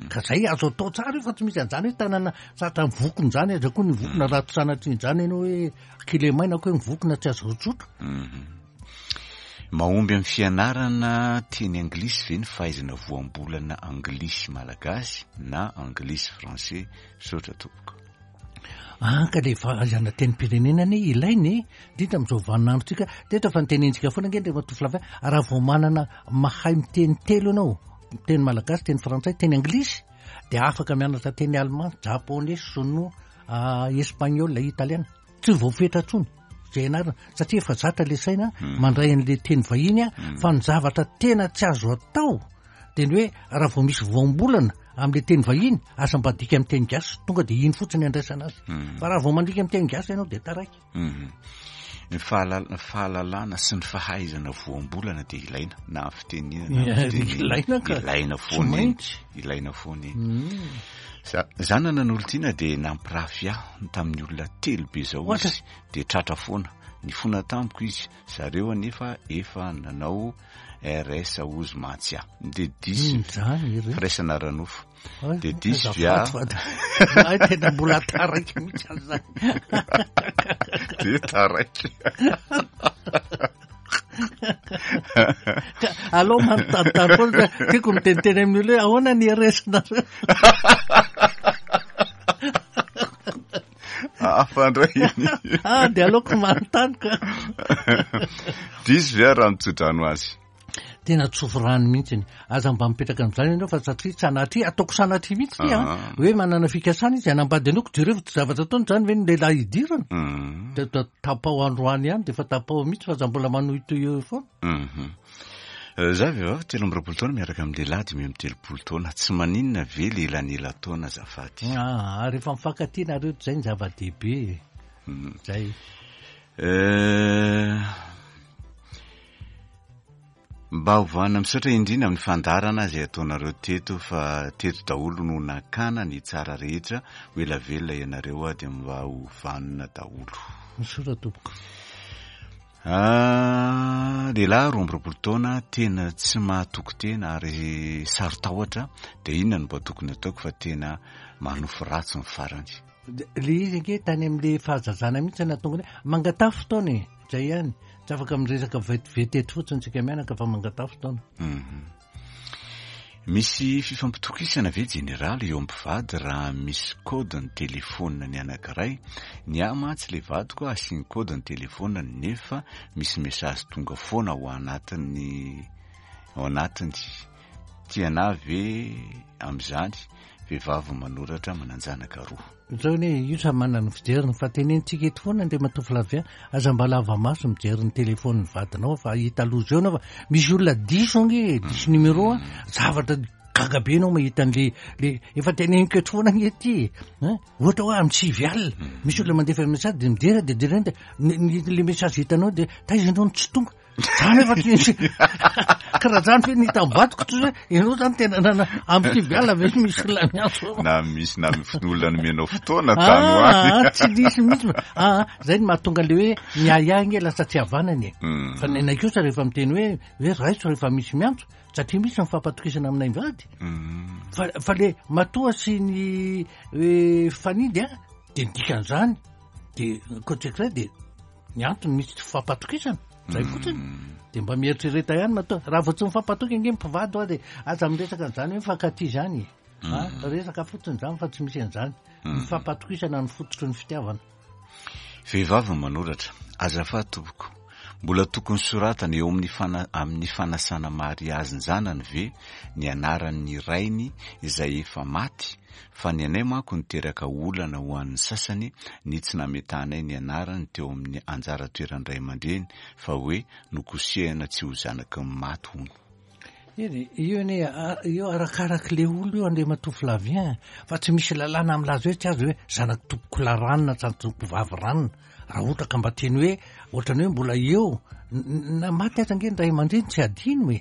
Ka zay azo atao tsara io, fa tsy misy an'izany hoe tanana satra mivokona zany aza koa ny vokona raha tsy sanatria zany ianao hoe kilemaina koa hoe mivokona tsy azo rotsotra. Mahomby amin'ny fianarana teny anglisy ve ny fahaizana voambolana anglisy malagasy na anglisy français? Misaotra tompoko. Anka le fahaizana tenim-pirenena anie ilaina e, indrindra amin'izao vaninandrontsika. Teto efa nitenentsika foana ange Andriamatoa Flavien, raha vao manana mahay miteny telo ianao, teny malagasy, teny frantsay, teny anglisy, de afaka mianatra teny allemand, japonais, sinoa, espagnol, italiana. Tsy voafetra intsony zay ianarana, satria efa zatra le saina mandray an'le teny vahiny a. Fa ny zavatra tena tsy azo atao de ny hoe raha vao misy voambolana amin'le teny vahiny asa mba adika amin'ny teny gasy, tonga de iny fotsiny andraisana azy, fa raha vao mandika amin'ny teny gasy ianao de taraiky. Ny fahalal- fahalalana sy ny fahaizana voambolana de ilaina na amin'ny fitenenana na amin'ny fitenenana. Ilaina ka. Ilaina Tsy foana iny. maintsy. Ilaina foana iny. Za- zanana n'olon-tiana de nampirafy ahy tamin'ny olona telo be zao Ohatra? izy, de tratra foana nifona tamiko izy, zareo anefa efa nanao R S ozy mantsy ahy, de diso Ino zany ire? firaisana ara-nofo. Ay, De diso azafady via. fa ay, tena mbola taraiky mihitsy an'izany. De taraiky. Ka aleo manontanontany foana, tiako miteniteny amin'ny olona hoe ahoana ny R S nareo? Hafa indray iny. Ah, de aleoko manontany ka. Diso via raha mitsodrano azy? Tena tsofy rano mihitsy. Aza mba mipetraka amin'izany ianao, fa satria sanatria, ataoko sanatria mihitsy ty, Ah. hoe manana fikasana izy hanambady anao, ko jereo fa tsy zavatra ataony zany ve ny lehilahy hidirana? Mm. De ta-, tapao androany ihany, de efa tapao mihitsy, fa aza mbola manohitohy eo foana. Mhm. Eh, za vehivavy telo amby roapolo taona miaraka amin'ny lehilahy dimy amby telopolo taona. Tsy maninona ve lehilahy taona azafady? Ah, rehefa mifankatia nareo, zay ny zava-dehibe. Mm. Zay. Eh, mba hovanina misaotra indrindra amin'ny fandaharana izay ataonareo teto, fa teto daholo no nakana ny tsara rehetra. Ho ela velona ianareo a, dia mba ho vanona daholo. Misaotra tompoko. Ah, lehilahy roa amby roapolo taona tena tsy mahatoky tena ary saro-tahotra, dia inona no mba tokony ataoko fa tena manofy ratsy ny farany? Le izy ange tany amin'le fahazazana mihitsy nahatonga ny hoe mangataha fotoana e, zay ihany. Tsy afaka miresaka vetivety eto fotsiny tsika mianaka fa mangataha fotoana. Mhm. Misy fifampitokisana ve jeneraly eo mpivady raha misy code ny telefona ny anankiray? Ny ahy mantsy le vadiko asiany code ny telefona nefa misy message tonga foana ao anatiny, ao anatiny. Tiana ve amin'izany? Vehivavy manoratra manan-janaka roa. Zao anie io samy manana ny fijeriny, fa tenenitsika eto foana Andriamatoa Flavien, aza mba lava maso mijery ny telefonin'ny vadinao fa hita loza eo anao, fa misy olona diso ange, diso numéro a, zavatra gaga be anao mahita an'le, le efa teneniko eto foana ange ty, hein? Ohatra hoe amin'ny sivy alina, misy olona mandefa message de mijery, de jerena de ny, ny, le message hitanao de taiza ianao no tsy tonga. Zany efa tsy nisy karaha zany fe ny hitam-badiko toy hoe ianao zany tena nana amin'ny sivy alina ve misy olona miantso? Na misy na olona nomenao fotoana tany ho any. Ah, tsy nisy mihitsy. Ah, zay ny mahatonga le hoe miahiahy nge lasa tsy havanany e. Mm. Fa ny anay kosa rehefa miteny hoe hoe raiso rehefa misy miantso, satria misy ny fampatokisana aminay mivady. Mm. Fa fa le matoa sy ny hoe fanidy a, de ny dikan'izany de ankoatr'izay de ny antony misy tsy fampatokisana zay fotsiny. De mba mieritrereta ihany matoa raha vao tsy mifampatoky ange mpivady hoa de aza miresaka an'izany hoe mifankatia zany e. Ah, resaka fotsiny zany fa tsy misy an'izany. Ny fampatokisana ny fototry ny fitiavana. Vehivavy manoratra: azafady tompoko, mbola tokony soratana eo amin'ny fana- amin'ny fanasana mariazin-janany ve ny anaran'ny rainy izay efa maty? Fa ny anay manko niteraka olana ho an'ny sasany ny tsy nametahanay ny anarany teo amin'ny anjara toeran'ny ray aman-dreny, fa hoe nokosehana tsy ho zanaky ny maty hono. Eny, io anie, a- io arakarak'le olo io Andriamatoa Flavien, fa tsy misy lalàna milaza hoe tsy azo hoe zanaky tompoko lahy ranona, zanaky tompoko vavy ranona. Raha ohatra ka mba teny hoe ohatrany hoe mbola eo, n- n- na maty aza ange ny ray aman-dreny tsy adino e.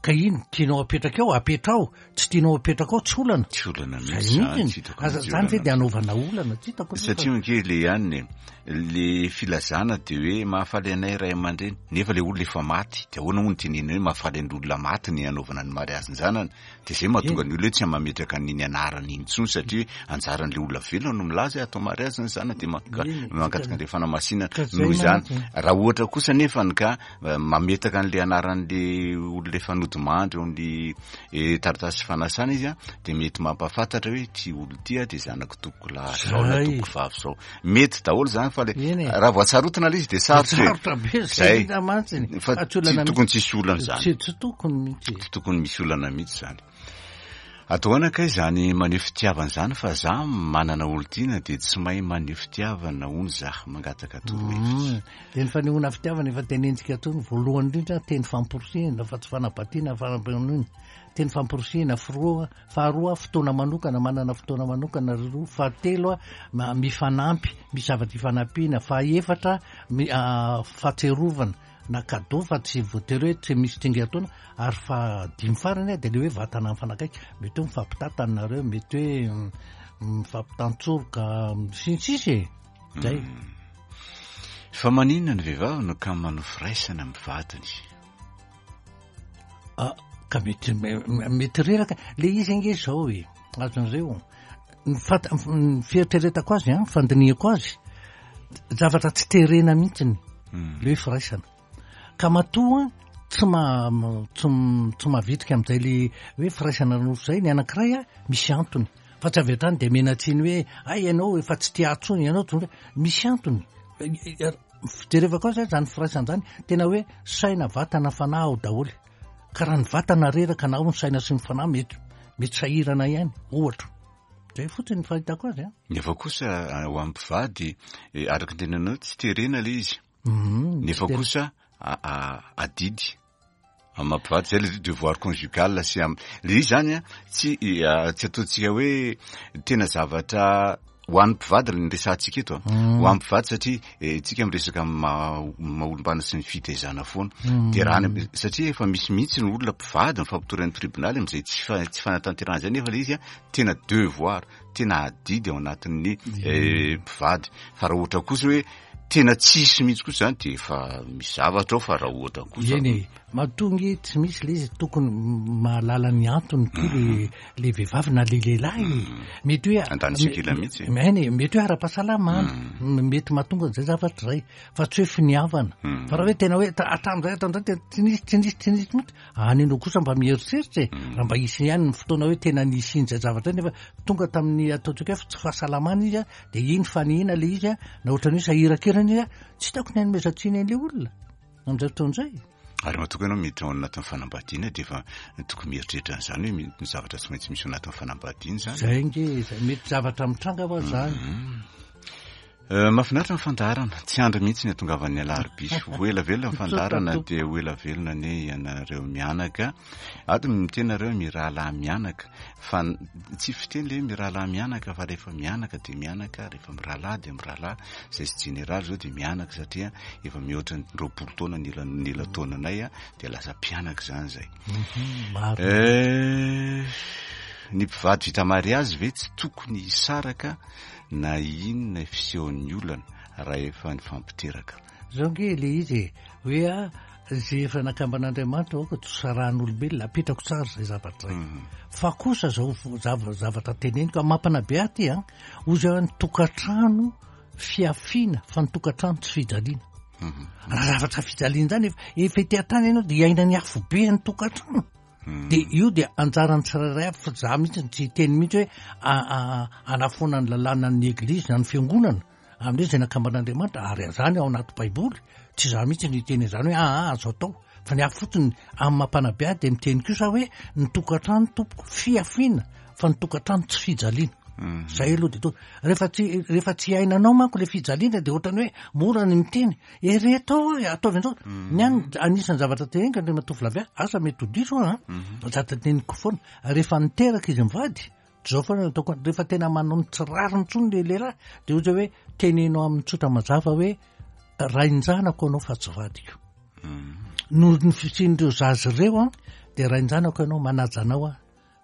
Ka ino tianao apetraka eo, apetrao, tsy tianao apetraka ao, tsy olana. Tsy olana Zay mihitsy zany, mihitsy. tsy hitako Aza mihitsy zany ve olana. de anaovana olana, tsy hitako aloha fa- Satria ange le ihany e, le filazana de hoe mahafaly anay ray aman-dreny, nefa le olona efa maty, de ahoana moa no tenenina hoe mahafaly an'ny olona maty ny anaovana ny mariazin-janany? De zay mahatonga ny olona hoe tsy mametraka an'iny anarany iny intsony, satria anjaran'le olona velona no milaza hoe atao mariazy ny zanany, de manka- Eny, mangataka an'le fanamasinana. ka zay Noho izany, mantsy. raha ohatra kosa nefa ny ka eh, mametaka an'le anaran'le olona efa nodimandry eo amin'ny eh, taratasy fanasana izy a, de mety mampahafantatra hoe ty olo ty a de zanako tompoko lahy zao na Zay. tompoko vavy zao. Mety daholo zany, fa le Eny e. raha voatsarotina le izy de sarotra e. Sarotra be zay Zay. indrindra mantsy. Fa Fa tsy tsy olana tokony mihitsy. tsisy olana zany. Tsy tsy tokony mihitsy. Tsy tokony misy olana mihitsy zany. Atao ahoana kay zany maneho fitiavana zany, fa za manana olon-tiana de tsy mahay maneho fitiavana hono za, mangataka torohevitra. Mm. De ny fanehoana fitiavana efa tenentsika tony voalohany indrindra, teny famporisihana fa tsy fanabatiana fanampanona, teny famporisihana firoa, faharoa fotoana manokana, manana fotoana manokana ry roa, fahatelo a, ma- mifanampy, misy zavatra ifanampiana, fahaefatra mi- ah, fahatserovana na cadeau fa tsy voatery hoe tsy misy tsingerin-taona, ary fahadimy farany a de le hoe vatana mifanakaiky, mety hoe mifampitatana nareo, mety hoe mm, mifampitantsoroka sy ny sisa e. Zay. Fa maninona ny vehivavy no ka manao firaisana amin'ny vadiny? Ah, ka mety me- me- mety reraka le izy ange zao e, azon'ireo ny fat- ny fieritreretako azy a, fandinihako azy, zavatra tsy terena mihitsiny Mm. le hoe firaisana, ka matoa tsy ma tsy m- tsy mavitrika amin'izay le hoe firaisana nofo zay ny anankiray a, misy antony, fa tsy avy hatrany de menatsiny hoe ay ianao efa tsy tia intsony ianao, tonga misy antony. Fijerevako azy zany firaisana zany tena hoe saina, vatana, fanahy ao daholo, ka raha ny vatana reraka na ao ny saina sy ny fanahy mety mety sahirana ihany ohatra. Zay fotsiny ny fahitako azy a. Nefa kosa eh, ho an'ny mpivady, eh, araka ny tenanao tsy terena le izy. Mhm, Nefa tsy ter- kosa a- a- adidy amin'ny mampivady zay le devoir conjugal sy am le izy zany a, tsy eh, tsy ataontsika hoe tena zavatra ho an'ny mpivady ny resahantsika eto a. Mm. Ho an'ny mpivady satria eh, tsika miresaka amin'ny maha maha olombana sy ny fitaizana foana. Mm. De raha ny, satria efa misy mihitsy ny olona mpivady mifampitory amin'ny tribonaly amin'izay tsy fa- tsy fanatanterahana zay, nefa le izy a tena devoir, tena adidy ao anatin'ny eh, mpivady. Fa raha ohatra kosa hoe tena tsisy mihitsy kosa zany de efa misy zavatra ao, fa raha ohatra kosa Eny e, mahatonga tsy misy le izy, tokony mahalala ny antony koa le le vehivavy na le lehilahy. Mety hoe Andany sikila mihitsy. Eny e, mety hoe ara-pahasalamana, mety mahatonga an'izay zavatra zay, fa tsy hoe finiavana. Mm. Fa raha hoe tena hoe ta- hatramin'izay hatramin'izay tena tsy nisy tsy nisy tsy nisy mihitsy, any ianao kosa mba mieritreritra e, raha mba hisy ihany ny fotoana hoe tena nisy in'izay zavatra zay, nefa tonga tamin'ny ataontsika hoe tsy fahasalamana izy a, de iny fanihina le izy a, na ohatran'ny hoe sahirakirana izy a, tsy hitako ny hanomezan-tsiny an'le olona amin'izay fotoana izay. Ary matoka ianao miditra ao anatin'ny fanambadiana de efa tokony mieritreritra an'izany hoe mi- ny zavatra tsy maintsy misy ao anatin'ny fanambadiana zany. Zay nge, zay mety zavatra mitranga va zany. Mahafinaritra ny fandaharana, tsy andry mihitsy ny atongavan'ny alarobia. Ho ela velona ny fandaharana, dia ho ela velona anie ianareo mianaka. Ato miteny nareo mirahalahy mianaka, fa tsy fiteny le mirahalahy mianaka, fa rehefa mianaka dia mianaka, rehefa mirahalahy dia mirahalahy. Zay sy jeneraly zao dia mianaka satria efa mihoatra ny roapolo taona ny ela ny ela taonanay a, dia lasa mpianaka zany zay. Ny mpivady vita mariazy ve tsy tokony hisaraka na inona fisehon'ny olana raha efa nifampiteraka? Zao nge le izy e, hoe a zay efa nakamban'Andriamanitra aoka tsy sarahan'olombelona, apetrako tsara zay zavatra zay. Fa kosa zao zava- zavatra teneniko mampanabe ahy ty a, ozy ny tokantrano fiafiana fa ny tokantrano tsy fijaliana. Raha zavatra fijaliana zany efa efa ety an-tany ianao dia iaina ny afo be ny tokantrano. De io dia anjaran'ny tsirairay avy, fa za mihitsy tsy hiteny mihitsy hoe anafoana ny lalàna ny eglizy na ny fiangonana amin'izay zay nakamban'Andriamanitra, ary zany ao anaty Baiboly. Tsy za mihitsy ny hiteny izany hoe aa azo atao, fa ny afo fotsiny amin'ny mampanabe ahy dia miteny kosa hoe ny tokantrano tompoko fiafiana fa ny tokantrano tsy fijaliana. Zay aloha de to rehefa tsy rehefa tsy iainanao manko le fijaliana de ohatrany hoe mora ny miteny ereto ao ataovy an'izao. Ny any anisan'ny zavatra teneniko Andriamatoa Flavien, asa mety ho diso aho a, zavatra teneniko foana rehefa niteraka izy mivady zao foana ataoko, rehefa tena manao ny tsy rariny intsony le lehilahy de ohatra hoe teneno amin'ny tsotra mazava hoe rain-janako anao fa tsy vadiko. Noho ny fisian'ireo zaza ireo a de rain-janako ianao, manaja anao a,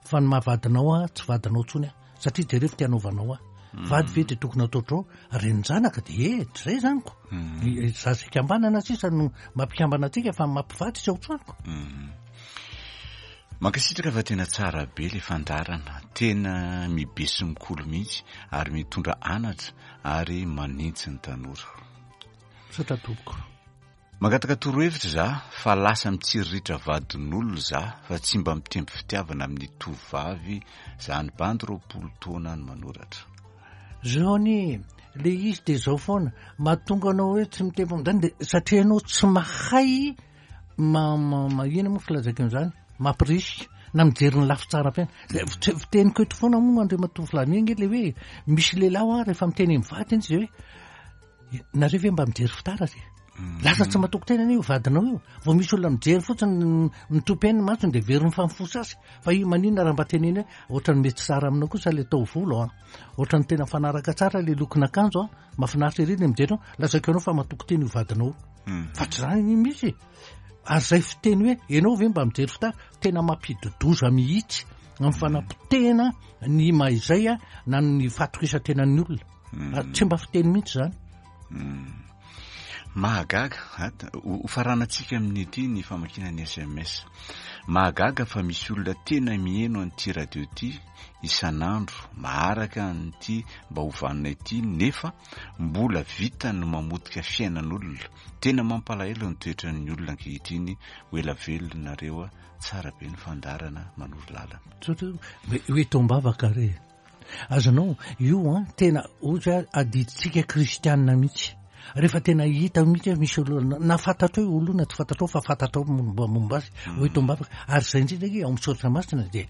fa ny mahavadinao a tsy vadinao intsony a, satria jereo ty anaovanao a. Vady ve de tokony ataotrao renin-janaka de e zay zany ko. Zaza ikambanana sisa no mampikambana antsika fa mampivady tsy ao an-tranoko. Mankasitraka fa tena tsara be le fandaharana, tena mibe sy mikolo mihitsy ary mitondra anatra ary manintsy ny tanora. Misaotra tompoko. Mangataka torohevitra za fa lasa mitsiriritra vadin'olona za fa tsy mba mitempo fitiavana amin'ny tovovavy za, ny bandy roapolo taona ny manoratra. Zao anie le izy de zao foana mahatonga anao hoe tsy mitempo amin'izany de satria ianao tsy mahay ma ma ma ina moa filazako an'izany, mampirisika na mijery ny lafy tsara fiaina. Zay fiteniko eto foana moa Andriamatoa Flavien nge le hoe misy lehilahy a rehefa miteny amin'ny vadiny izy hoe nareo ve mba mijery fitaratra e? Lasa tsy matoky tena io vadinao io, vao misy olona mijery fotsiny mitopy ainy ny masony de very mifamofosa azy. Fa io maninona raha mba teneny hoe ohatrany mety tsara aminao kosa le taovolo a, ohatrany tena mifanaraka tsara le lokon'akanjo a, mahafinaritra ery ny mijery anao, lazaiko anao fa matoky tena io vadinao. Fa tsy zany iny mihitsy. Ary zay fiteny hoe ianao ve mba mijery fitaratra, tena mampidodoza mihitsy amin'ny fanapotehana ny maha izay a na ny fahatokisan-tenan'ny olona. Tsy mba fiteny mihitsy zany. Mahagaga, ho faranantsika amin'ity ny famakiana ny S M S. Mahagaga fa misy olona tena miheno an'ity radio ity isan'andro, maharaka an'ity mba ho vanona ity, nefa mbola vita ny mamotika fiainan'olona. Tena mampalahelo ny toetran'ny olona ankehitriny. Ho ela velona nareo a, tsara be ny fandaharana manoro lalana. Tsotra hoe tombavaka re. Azonao io a, tena ohatra adidintsika kristianina mihitsy. Rehefa tena hita mihitsy hoe misy olona na fantatrao io olona tsy fantatrao fa fantatrao momba momba azy, hoe tombavaka. Ary izay indrindra nge ao amin'ny soratra masina dia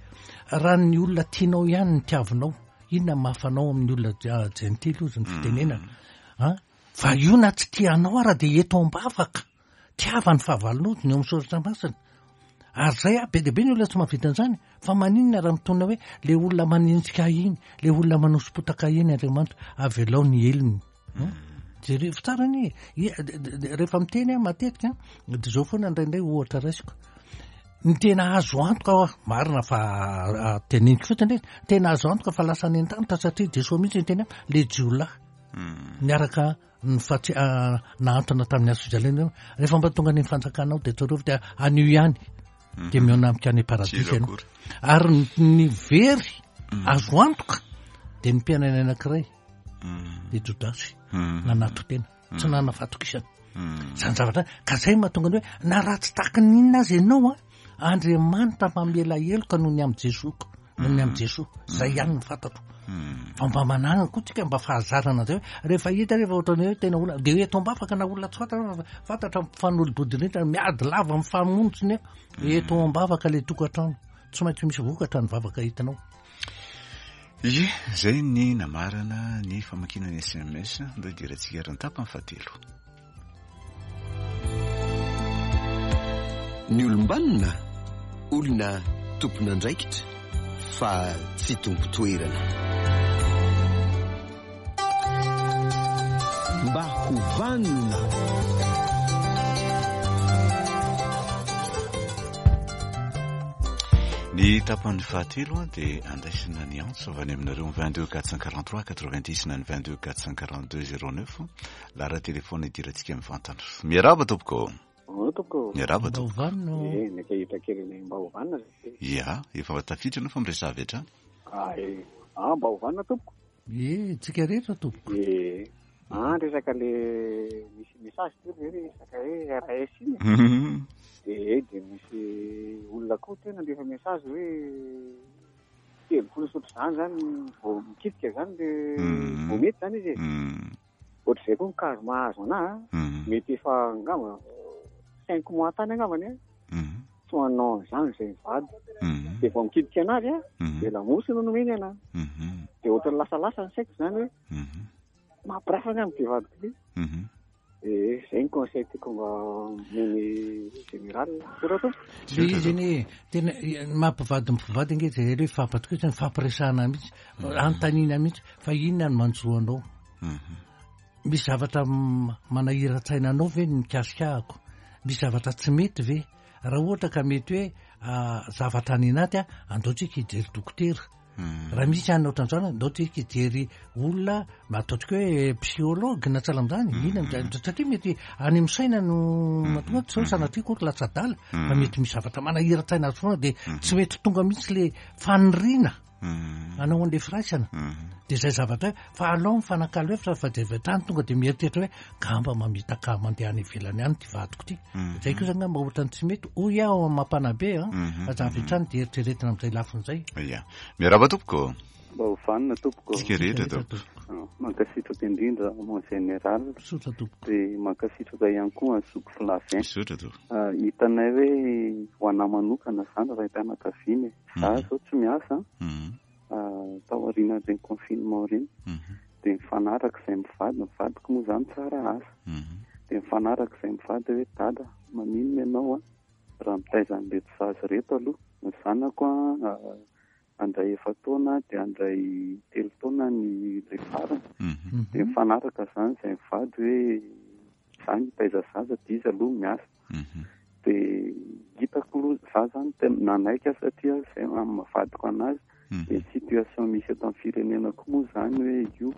raha ny olona tianao ihany ny tiavinao, inona ny mahafanao amin'ny olona jentily ozy ny fitenenana. Ha? Fa io na tsy tianao ara dia eto am-bavaka. Tiava ny fahavalonao ny ao amin'ny soratra masina. Ary zay a, be dia be ny olona tsy mahavita an'izany. Fa maninona raha mitonona hoe le olona manenjika iny, le olona manoso-potaka iny Andriamanitra, avelao ny helony. Jereo tsara anie. Rehefa miteny aho matetika, dia zao foana indraindray ohatra raisiko. Ny tena azo antoka aho, marina fa teneniko fotsiny hoe tena azo antoka fa lasa any an-danitra satria Jesoa mihitsy niteny hoe le jiolahy niaraka nifatsy nahantona tamin'ny hazo fijaliana. Rehefa mba tonga any amin'ny fanjakanao dia tsarovy dia anio ihany dia mihaona amiko any paradisa ianao. Ary ny very azo antoka dia ny mpianany anankiray dia Jodasy nanato tena, tsy nanana fahatokisana. Zany zavatra ka zay mahatonga ny hoe na raha tsy tahaka ny inona azy ianao a, Andriamanitra mamela heloka noho ny amin'i Jesoa, noho ny amin'i Jesoa. Zay ihany no fantatro. Fa mba manana koa tsika mba fahazarana zay hoe rehefa hita rehefa ohatrany hoe tena olona dia hoe eto am-bavaka na olona tsy fantatra fa fantatra mifanolobodin'entana miady lava mifamono tsy nefa eto am-bavaka le tokantrano tsy maintsy misy vokatra ny vavaka hitanao. Ie, zay ny namarana ny famakiana ny S M S, ndao hidirantsika ary ny tapany fahatelo. Ny olom-banona, olona tompon'andraikitra fa tsy tompo-toerana. Mba ho vanona. Ny tapany fahatelo dia andraisana ny antso avy any aminareo vingt-deux quatre cent quarante-trois quatre-vingt-dix na ny vingt-deux quatre cent quarante-deux zéro neuf. Laharan'ny telefona idirantsika mivantana. Miarahaba tompoko. Tompoko. Miarahaba tompoko. Eh, neka hita kely ny mba ho vanona. Ia, efa tafiditra anao fa miresaha avy hatrany. Ah, eh. Ah, mba ho vanona tompoko. Eh, tsika rehetra tompoko. Eh. Ah, resaka le misy message teo le resaka hoe R S iny. Eh, dia misy olona koa tena ndefa message hoe telopolo sy ohatr'izany zany vao mikitika zany le vao mety zany izy e. Ohatr'izay koa ny kazo mahazo anahy, mety efa angamba cinq mois tany angambany e. Tsy manao an'izany izay mivady. Dia vao mikitika anazy a, dia lamosy no nomeny anahy. Dia ohatran'ny lasalasa ny saiko zany hoe mampirafy angamba ity vadiko ity. Eh, zay ny conseil tiako mba omeny général. Sora tompoko. Le izy anie tena mampivady mpivady ange zay hoe fampatokisana, fampiresahana mihitsy, anontaniana mihitsy fa inona no manjo anao. Misy zavatra manahira-tsaina anao ve ny mikasika ahako? Misy zavatra tsy mety ve? Raha ohatra ka mety hoe zavatra any anaty a, andao tsika hijery dokotera. Raha misy any ohatran'izany, andao tsika hijery olona ataontsika hoe psychologue na sahala amin'izany, inona no satria mety any amin'ny saina no mahatonga tsy hoe sanatria akory latsa-dala, fa mety misy zavatra manahira-tsaina azy foana dia tsy mety tonga mihitsy le faniriana anao an'le firaisana. Dia izay zavatra fa alao mifanakalo hevitra fa dia avy hatrany tonga dia mieritreritra hoe ngamba mamitaka mandeha any ivelany any ity vadiko ity. Izay koa zany ngamba ohatrany tsy mety, hoy aho amin'ny mampanabe a, fa avy hatrany dia eritreretina amin'izay lafiny izay. Ia. Miarahaba tompoko. Mba ho vanona tompoko. Tsika rehetra tompoko. Mankasitraka indrindra mon général. Misaotra tompoko. Dia mankasitraka ihany koa an'i Zoky Flavien. Misaotra tompoko. Hitanay hoe ho anahy manokana izany raim-pianakaviana e. Za zao tsy miasa. Tao aorian'ireny confinement ireny. Dia mifanaraka izay mivady, ny vadiko moa izany tsara asa. Dia mifanaraka izay mivady hoe dada, maninona ianao a raha mitaiza an'ireto zaza ireto aloha. Ny zanako a andray efa-taona dia andray telo taona ny ilay farany. Dia mifanaraka izany izay mivady hoe za mitaiza zaza dia izy aloha miasa. Dia hitako aloha za zany tena nanaiky aho satria izay amin'ny mahavadiko anazy. Ny situation misy eto amin'ny firenena koa moa izany hoe io.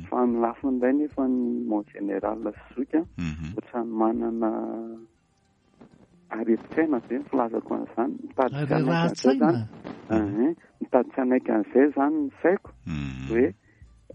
Fa amin'ny lafiny indray nefa ny mon général sy Zoky a, ohatran'ny manana aretin-tsaina ve ny filazako an'izany. Mitady tsy hanaiky an'izay zany. Mitady tsy hanaiky an'izay zany ny saiko hoe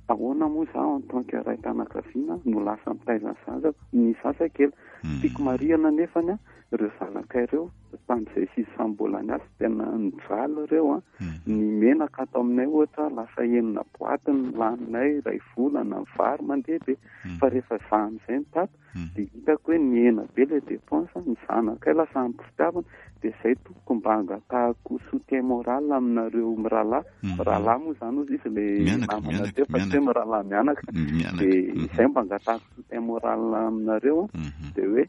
ahoana moa zaho en tant que raim-pianakaviana no lasa mitaiza ny zaza, ny zaza kely. Tiako marihana nefany a, ireo zanakay ireo tamin'izay sisy samy mbola niasa tena nijaly ireo a. Ny menaka ato aminay ohatra lasa enina boaty ny laninay iray volana, ny vary mandeha be. Fa rehefa za amin'izay ny tato dia hitako hoe nihena be ilay dépense, ny zanakay lasa ampy fitiavana. Dia izay tompoko mba angatahako soutien moral aminareo mirahalahy. Mirahalahy moa izany ozy izy ilay namana teo fa tsy hoe mirahalahy mianaka. Dia izay mba angatahako soutien moral aminareo. Dia hoe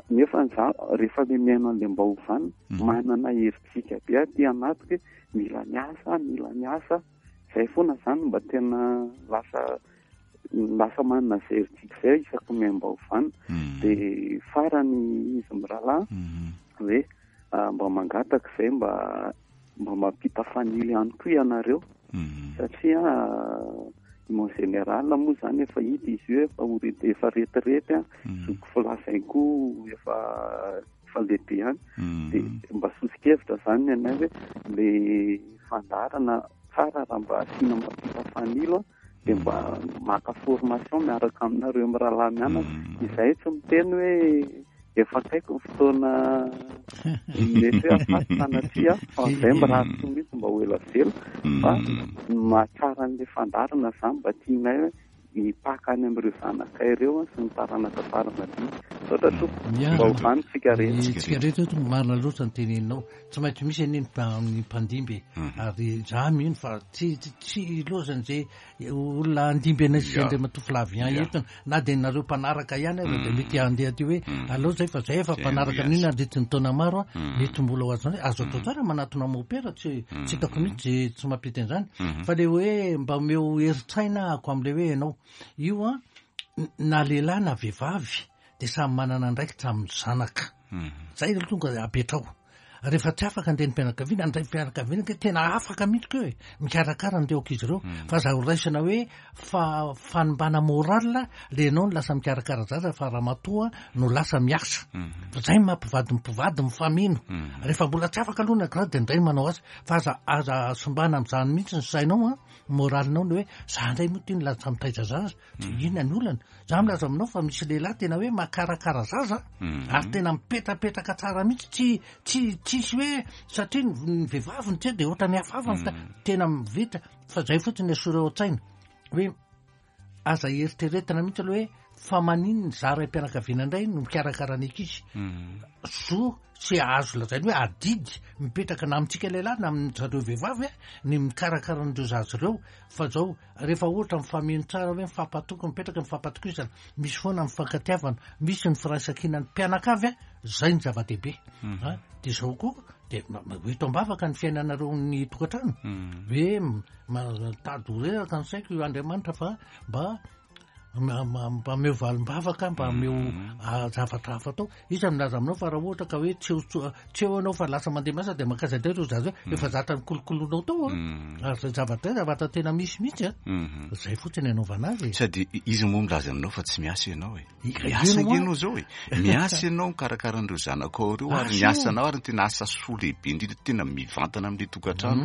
nefa za rehefa le miaina an'ilay mba ho vanona, manana herijika be aty anatiko hoe mila miasa, mila miasa. Izay foana izany mba tena lasa lasa manana izay herijika izay isaky ny mba ho vanona. Dia farany izy mirahalahy hoe mba mangataka izay mba mba mampita fanilo ihany koa ianareo. Satria mon général moa izany efa hita izy io efa ho re-, efa retirety a, Zoky Flavien koa efa, efa lehibe ihany. Dia mba soso-kevitra izany ny anay hoe le fandaharana tsara raha mba asiana mampita fanilo a, dia mba maka formation miaraka aminareo mirahalahy mianaka. Izay tsy miteny hoe efa akaiky ny fotoana mety hoe afaty sanatria, fa izay mirary soa mihitsy mba ho ela velona. Fa mahatsara an'ilay fandaharana izany mba tianay hoe hipaka any amin'ireo zanakay ireo sy ny taranaka fara madimby. Misaotra tompoko. Mba ho vanona tsika rehetra. Tsika rehetra eto marina loatra ny teneninao. Tsy maintsy misy anie ny mpandimby ary za mino fa tsy tsy ilozan'izay olona andimby anay sy Andriamatoa Flavien eto na dia nareo mpanaraka ihany aza dia mety handeha aty hoe aleo zay fa zay efa mpanaraka amin'iny nandritry ny taona maro mety mbola ho azo zany. Azo atao tsara manatona mopera, tsy tsy hitako mihitsy tsy mampety an'izany. Fa le hoe mba omeo herin-tsaina ako amin'ilay hoe ianao io a na lehilahy na vehivavy dia samy manana andraikitra amin'ny zanaka. Zay aloha tonga apetrao. Rehefa tsy afaka andeha ny mpianakaviana, ny raim-pianakaviana ke tena afaka mihitsy koa e, mikarakara an'ireo ankizy ireo. Fa za ho raisina hoe fa fanimbana moral le ianao no lasa mikarakara zaza fa ramatoa no lasa miasa. Fa zay mampivady mpivady mifameno. Rehefa mbola tsy afaka aloha ny ankiray dia indray manao azy. Fa aza, aza sombana amin'izany mihitsy ny sainao a, moralinao ny hoe za indray moa ty no lasa mitaiza zaza. Dia inona ny olana? Za milaza aminao fa misy lehilahy tena hoe makarakara zaza ary tena mipetrapetraka tsara mihitsy, tsy, tsy, tsisy hoe satria ny vehivavy ny tsy dia ohatran'ny hafahafa fa tena mivita. Fa zay fotsiny asoreo an-tsaina hoe aza eritreretina mihitsy aloha hoe fa maninona ny za raim-pianakaviana indray no mikarakara ny ankizy. Zo tsy azo lazaina hoe adidy mipetraka na amintsika lehilahy na amin'ny zareo vehivavy ny mikarakara an'ireo zaza ireo. Fa zao rehefa ohatra mifameno tsara hoe mifampatoky, mipetraka mifampatokisana, misy foana mifankatiavana, misy ny firaisankinan'ny mpianakavy, zay ny zava-dehibe. Dia zao koa dia eto am-bavaka ny fiainanareo ny tokantrano hoe mitady ho reraka ny saiko io Andriamanitra fa mba mba omeo valim-bavaka, mba omeo zavatra hafa atao. Iza milaza aminao fa raha ohatra ka hoe tsy eo, tsy eo ianao fa lasa mandeha miasa dia mankaiza indray ireo zaza hoe efa zatra ny kolokoloinao tao a. Ary zay zavatra izay zavatra tena misy mihitsy a. Zay fotsiny anaovana azy. Sady izy moa milaza aminao fa tsy miasa ianao e. Miasa ianao zao e. Miasa ianao mikarakara an'ireo zanakao ireo ary ny asanao ary ny tena asa soa lehibe indrindra tena mivantana amin'ilay tokantrano.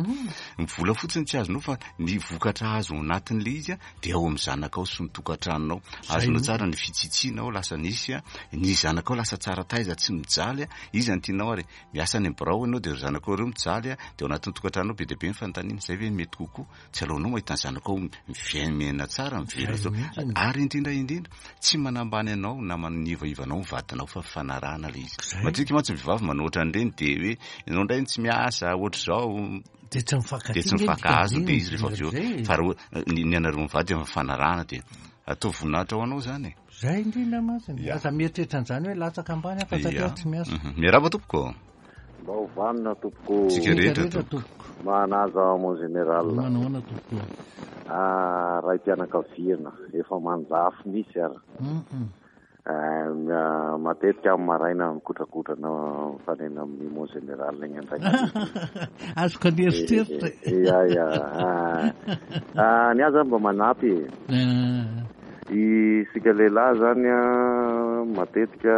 Ny vola fotsiny tsy azonao fa ny vokatra azo ao anatin'ilay izy a dia ao amin'ny zanakao sy ny tokantranonao. Azonao tsara ny fitsitsianao lasa nisy a, ny zanakao lasa tsara taiza tsy mijaly a. Iza ny tianao ary miasa any amin'ny birao ianao dia ireo zanakao ireo mijaly a, dia ao anatin'ny tokantranonao be dia be ny fanontaniana izay ve mety kokoa. Tsy aleonao mahita ny zanakao miaina tsara, mivelona tsara. Ary indrindra indrindra tsy manambany anao na manivaiva anao ny vadinao fa fanarahana ilay izy. Matetika mantsy ny vehivavy manohitra an'ireny dia hoe ianao indray tsy miasa ohatr'izao. Dia tsy mifankatia Dia tsy mifankahazo dia izy rehefa avy eo. Fa raha ny anareo mivady amin'ny fanarahana dia atao voninahitra ho anao zany e. Zay indrindra mantsy. Aza mieritreritra an'izany hoe latsaka ambany aho fa satria tsy miasa. Miarahaba tompoko. Mba ho vanona tompoko. Tsika rehetra tompoko. Manaja mon général. Manahoana tompoko. Ah, raim-pianakaviana efa manjafy misy ary. Matetika amin'ny maraina mikotrakotrana mifanena amin'ny mon général igny indray. Azoko ny eritreritra. Ya ya. Ah, ny ahy zany mba manampy e. Isika lehilahy zany a matetika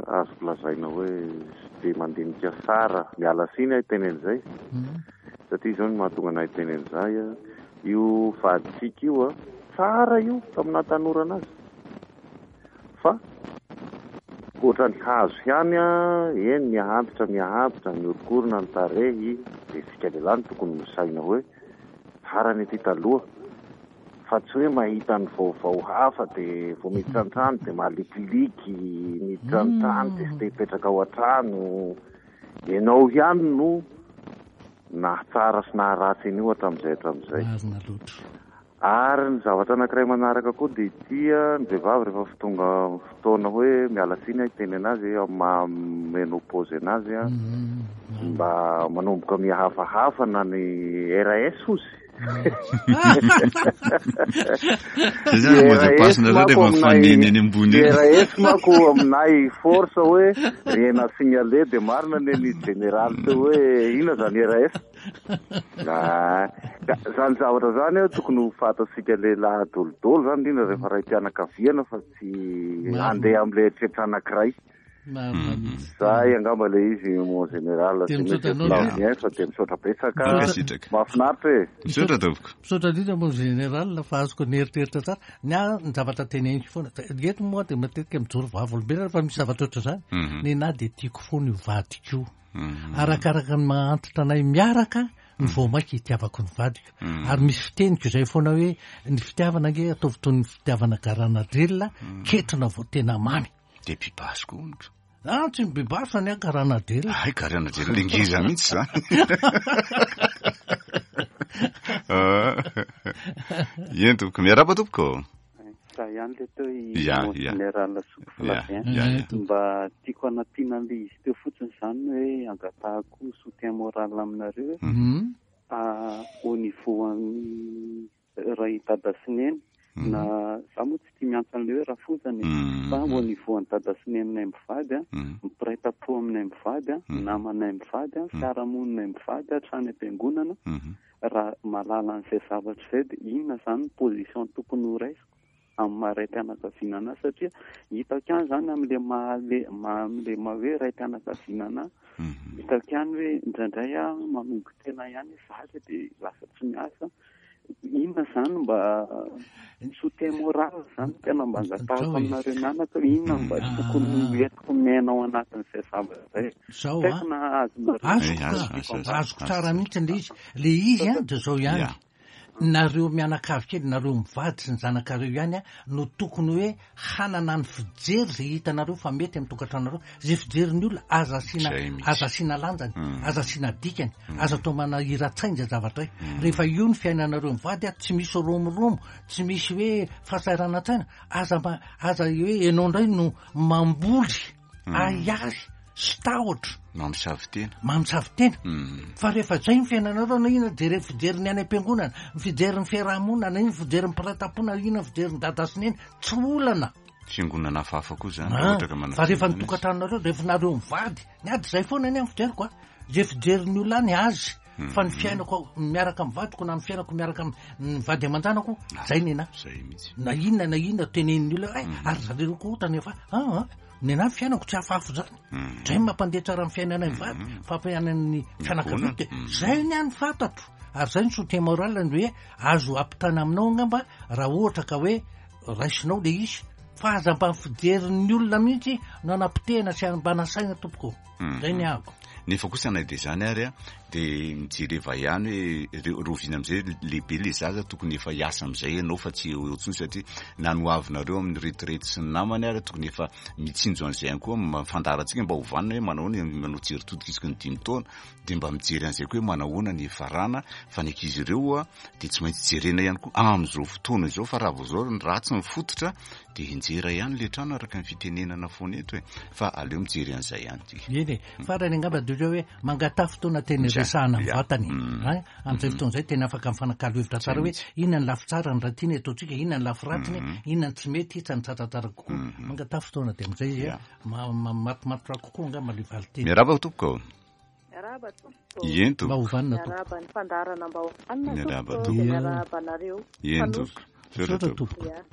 azoko lazaina hoe tsy de mandinika tsara, miala tsiny aho hiteny an'izay. Satria zao no mahatonga anahy hiteny an'izay a, io vaditsika io a, tsara io tamin'ny nahatanora anazy. Fa ohatran'ny hazo ihany a, eny miahantitra miahantitra, miorokorona ny tarehy, dia isika lehilahy no tokony misaina hoe tsara ny aty taloha. Fa tsy hoe mahita ny vaovao hafa dia vao miditra an-trano dia malikiliky, miditra an-trano dia tsy te hipetraka ao an-trano. Ianao ihany no nahatsara sy naharatsy an'io hatramin'izay hatramin'izay. Marina loatra. Ary ny zavatra anankiray manaraka koa dia ity a, ny vehivavy rehefa tonga fotoana hoe miala tsiny aho hiteny anazy amin'ny maha ménopause anazy a, mba manomboka mihafahafa na ny R S ozy. Zay zany mot de passe nareo rehefa mifanena eny ambony eny. R S manko aminay force hoe rien à signaler dia marina ny ny général teo hoe inona zany R S. Ah, zany zavatra zany a tokony ho fantatsika lehilahy dolidoly zany indrindra rehefa raim-pianakaviana fa tsy handeha amin'ilay eritreritra anankiray. Zay angamba ilay izy mon général Dia sy misaotra monsieur anao. Flavien fa dia misaotra betsaka. Mankasitraka. Mahafinaritra e. Misaotra tompoko. Misaotra indrindra mon général fa azoko ny eritreritra tsara. Ny ahy ny zavatra teneniko foana. Eto moa dia matetika mijoro vavolombelona fa misy zavatra ohatr'izany. Ny anahy dia tiako foana io vadiko io. Arakaraka ny mahantitra anay miaraka ny vao mainka hitiavako ny vadiko. Ary misy fiteniko izay foana hoe ny fitiavana ange ataovy toy ny fitiavana garanadrelina, ketrina vao tena mamy. De mpibasy koa hono. Ah, tsy mibibasy fa ny ahy karanadela. Ay, karanadela le ngeza mihitsy zany. Eny tompoko, miarahaba tompoko. Za ihany le teo i Ya, ya. Général Zoky Flavien. Ya, ya. Mba tiako anampiana an'le izy teo fotsiny zany hoe angatahako soutien moral aminareo hoe Mhm. ah, au niveau amin'ny ray dada sy neny na za moa tsy tia miantso an'le hoe rafozany Mhm. fa au niveau an'ny dada sy neninay mivady a Mhm. mpiray-tampo aminay mivady a Mhm. namanay mivady a fiarahamoninay mivady a hatrany am-piangonana Mhm. raha mahalala an'izay zavatra izay dia inona zany ny position tokony ho raisiko amin'ny maha ray-pianakaviana anahy satria hitako ihany zany amin'le maha le maha amin'le maha hoe ray-pianakaviana anahy Mhm. hitako ihany hoe indraindray aho manombo tena ihany hoe za dia lasa tsy miasa inona zany mba soutien moral zany tena mba angatahako aminareo mianaka inona mba tokony entiko miaina ao anatin'izay zavatra izay Zao tsy a. haiko na azonareo Azoko Eh, azo, azo, ka, azo. azoko tsara mihitsy le izy. Le izy a, de zao ihany. Ya. Nareo mianakavy kely, nareo mivady sy ny zanakareo ihany a, no tokony hoe hanana ny fijery zay hitanareo fa mety amin'ny tokantranonareo. Zay fijerin'ny olona aza asiana Zay mihitsy. aza asiana lanjany, Mm. aza asiana dikany, aza atao manahira-tsaina zay zavatra hoe. Rehefa io ny fiainanareo mivady a, tsy misy romoromo, tsy misy hoe fahasahiranantsaina, aza mba aza hoe ianao indray no mamboly ahiahy sy tahotra Mamosavy tena. mamosavy tena. Mhm. Fa rehefa zay ny fiainanareo na inona jere fijerin'ny any am-piangonana, ny fijerin'ny fiarahamonina, na inona fijerin'ny mpiray-tampo, na inona fijerin'ny dada sy neny, tsy olana. Fiangonana hafahafa koa zany raha Ah, ohatra ka manao fa rehefa ny fiangonana izy. tokantranonareo, rehefa nareo mivady, ny ady zay foana ny amin'ny fijeriko a. Zay fijerin'ny olona any azy. Fa ny fiainako miaraka amin'ny vadiko na ny fiainako miaraka amin'ny vady aman-janako, zay ny anahy. Zay mihitsy. Na inona na inona tenenin'ny olona, ay, ary zareo koa otany efa, ah, ah, ny anahy fiainako tsy hafahafa zany. Zay mampandeha tsara ny fiainanay mivady, fampiainan'ny fianakaviana de zay ny any fantatro. Ary zay ny soutien moral ny hoe azo ampitana aminao angamba raha ohatra ka hoe raisinao le izy fa aza mba fijerin'ny olona mihitsy no anapotehana sy mba nasaina tompoko. Zay ny ahako. Nefa kosa na dia zany ary a, dia mijereva ihany hoe re- rovina amin'izay lehibe le zaza tokony efa hiasa amin'izay ianao fa tsy eo eo intsony satria na ny hoavinareo amin'ny retirety sy ny namany ary tokony efa mitsinjo an'izay ihany koa ma- fandaharantsika mba ho vanona hoe manao ny manao jery todika isaky ny dimy taona dia mba mijery an'izay koa hoe manahoana ny farana fa ny ankizy ireo a dia tsy maintsy jerena ihany koa amin'izao fotoana izao fa raha vao izao ny ratsy ny fototra dia injera ihany le trano araka ny fitenenana foana eto e fa aleo mijery an'izay ihany tsika. Eny e, farany angamba dia hoe mangataha fotoana tena Zay. resahana Ya. vatany. Mm. Ay, amin'izay fotoana izay tena afaka mifanakalo hevitra tsara hoe inona ny lafy tsara ny raha tiana ataontsika, inona ny lafy ratsiny, inona ny tsy mety, tsy ny tsaratsara kokoa. Mangataha fotoana dia amin'izay izy Ya. ma- ma- matomatotra kokoa angamba le valin-teny. Miarahaba tompoko. Miarahaba tompoko. Eny Mba tompoko. ho vanona tompoko. Miarahaba ny fandaharana mba ho vanona Miarahaba tompoko. tompoko. Dia miarahaba anareo. Eny Mpanosy. tompoko. Misaotra Misaotra tompoko. tompoko. Ya.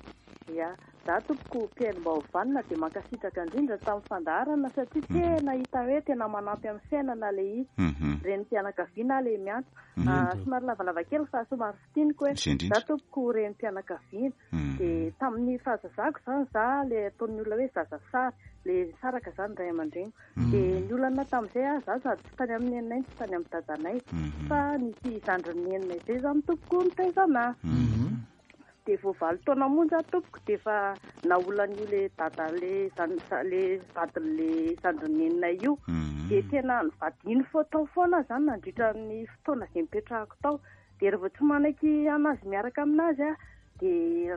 Ya. Za tompoko mpihaino mba ho vanona dia mankasitraka indrindra tamin'ny fandaharana satria tena hita hoe tena manampy amin'ny fiainana le izy. Mhm. Renim-pianakaviana le miantso. Ah, somary lavalava kely fa somary fintiniko hoe Izay indrindra. za tompoko renim-pianakaviana. Mhm. Dia tamin'ny fahazazako zany za le ataon'ny olona hoe zaza sary, le saraka zany ray aman-dreny. Dia ny olana tamin'izay ah, za sady tsy tany amin'ny neninay, tsy tany amin'ny dadanay. Fa nisy zandrin'ny neninay izay zany tompoko nitaiza anahy. Dia vao valo taona monja aho tompoko dia efa naolan'io le dada le zan- za- le vadin'le zandrin'ny neninay io. Dia tena nivadiny fo tao foana zany nandritra ny fotoana izay nipetrahako tao. Dia rehefa tsy manaiky anazy miaraka aminazy ah, dia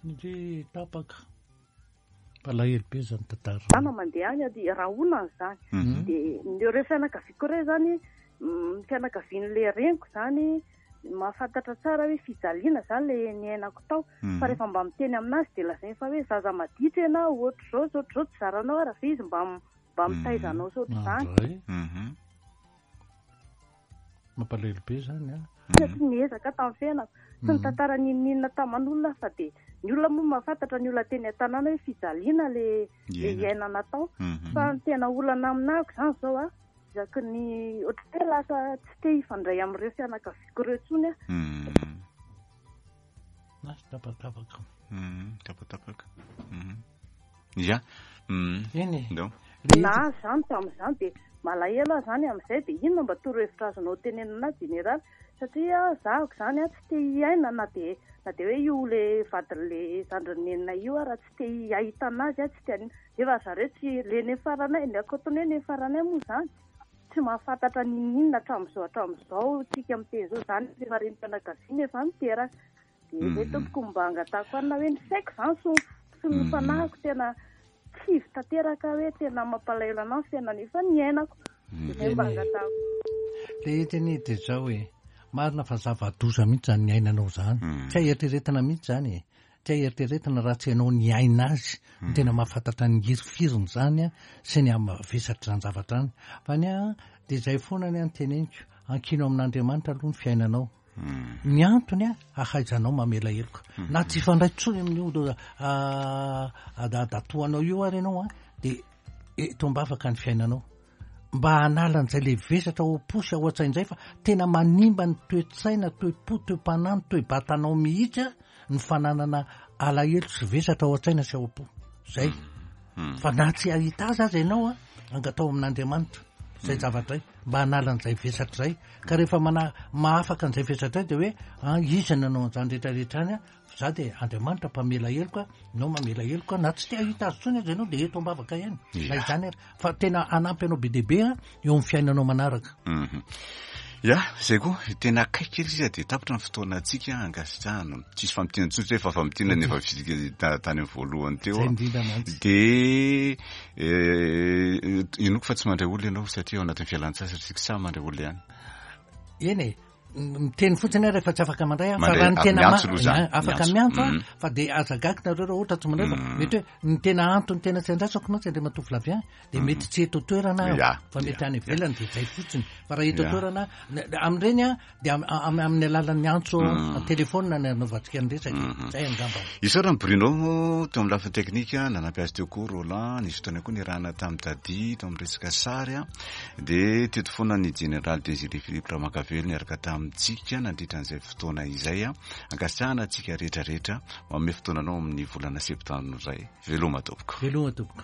Ndry tapaka. Mpalahelo be zany tantara. zana mandeha any dia rahonana zany. Dia ny ireo fianakaviako ireo zany, mm, fianakavian'le reniko zany mahafantatra tsara hoe fijaliana zany le niainako tao. Fa rehefa mba miteny aminazy dia lazainy fa hoe zaza maditra ianao, ohatr'izao sy ohatr'izao tsy zaranao ary fa izy mba m- mba mitaiza anao sy ohatr'izany. Andray. Mhm. Mampalahelo be zany a. Satria niezaka tamin'ny fiainako. Tsy nitantara n'inon'inona taman'olona fa dia ny olona moa mahafantatra ny olona teny an-tanàna hoe fijaliana le le Iainana. iainana tao. Mhm. Fa ny tena olana aminahako zany zao a, isaky ny ohatran'ny hoe lasa tsy te hifandray amin'ireo fianakaviako ireo intsony aho. Mhm. Na, tapatapaka. Mhm. Tapatapaka. Mhm. Ya. Mhm. Eny e. Ndao. Le Na zany tamin'izany dia Malahelo aho zany amin'izay. Dia inona mba torohevitra azonao tenenana jeneraly? Satria zahako zany a tsy te hiaina na dia na dia hoe io le vadin'le zandrin'ny nenina io a, raha tsy te hahita anazy a, tsy te anina. Nefa zareo tsy le nefaranay, ny akotony hoe nefaranay moa zany tsy mahafantatra n'inon'inona hatramin'izao hatramin'izao tsika miteny zao zany, efa renim-pianakaviana efa miteraka. Dia zay tompoko mba angatahako anina hoe ny saiko zany sy sy ny fanahiko tena kivy tanteraka, hoe tena mampalahelo anahy ny fiainana efa niainako. Dia zay mba angatahako. Le teny dia zao e, marina fa zava-doza mihitsy zany niainanao zany. Tsy hay eritreretina mihitsy zany e. Tsy hay eritreretina raha tsy ianao niaina azy. No tena mahafantatra ny hirifiriny zany a, sy ny hamavesatra zany zavatra zany. Fa ny a dia zay foana ny anteneniko, ankino amin'Andriamanitra aloha ny fiainanao. Ny antony a ahaizanao mamela heloka. Na tsy hifandray intsony amin'io dadatoanao io ary ianao a, dia eto am-bavaka ny fiainanao. Mba hanala an'izay le vesatra ao am-po sy ao an-tsaina izay, fa tena manimba ny toe-tsaina, toe-po, toe-panahy, ny toe-batanao mihitsy a, ny fananana alahelo sy vesatra ao an-tsaina sy ao am-po. Zay. Fa na tsy hahita azy aza ianao a, angatao amin'Andriamanitra zay zavatra izay, mba hanala an'izay vesatra izay. Ka rehefa mana mahafaka an'izay vesatra izay dia hoe ah, iza nanao an'izany rehetrarehetra any a, za dia Andriamanitra mpamela heloka, ianao mamela heloka, na tsy te hahita azy intsony aza ianao dia eto am-bavaka ihany. Na izany ary, fa tena hanampy anao be dia be a eo amin'ny fiainanao manaraka. Ya, zay koa, tena akaiky kely izy dia tapitra ny fotoanantsika ankasitrahana. Tsisy famintinana intsony fa famintinana efa vita tany amin'ny voalohany teo. Zay indrindra mantsy. Dia inoako fa tsy mandray olona ianao satria ao anatin'ny fialan-tsasatra isika, sa mandray olona ihany? Eny e, miteny fotsiny aho rehefa tsy afaka mandray aho, fa Mandray, raha ny tena miantso ma- aloha zany, afaka miantso. miantso aho, Mm. fa dia aza gaga nareo raha ohatra tsy mandray, fa Mm. mety hoe ny tena antony tena tsy andrasako mantsy Andriamatoa Flavien, dia mety tsy eto toerana aho, Ya, fa mety ya, any ivelany, dia zay fotsiny. Fa raha eto Ya. toerana, n- amin'ireny a, dia am-, am-, amin'ny alalan'ny antso Mm. telefona ny anaovantsika ny resaka. Mm. Zay angamba. Isaorana Bruno teo amin'ny lafiny teknika, nanampy azy teo koa Roland, nisy fotoana koa nirahana tamin'ny Dadi teo amin'ny resaka sary a. Dia teto foana ny Général Désiré Philippe Ramakavelo niaraka tamintsika nandritra an'izay fotoana izay a. Ankasitrahana antsika rehetrarehetra manome fotoananao amin'ny volana septambra izay. Veloma tompoko. Veloma tompoko.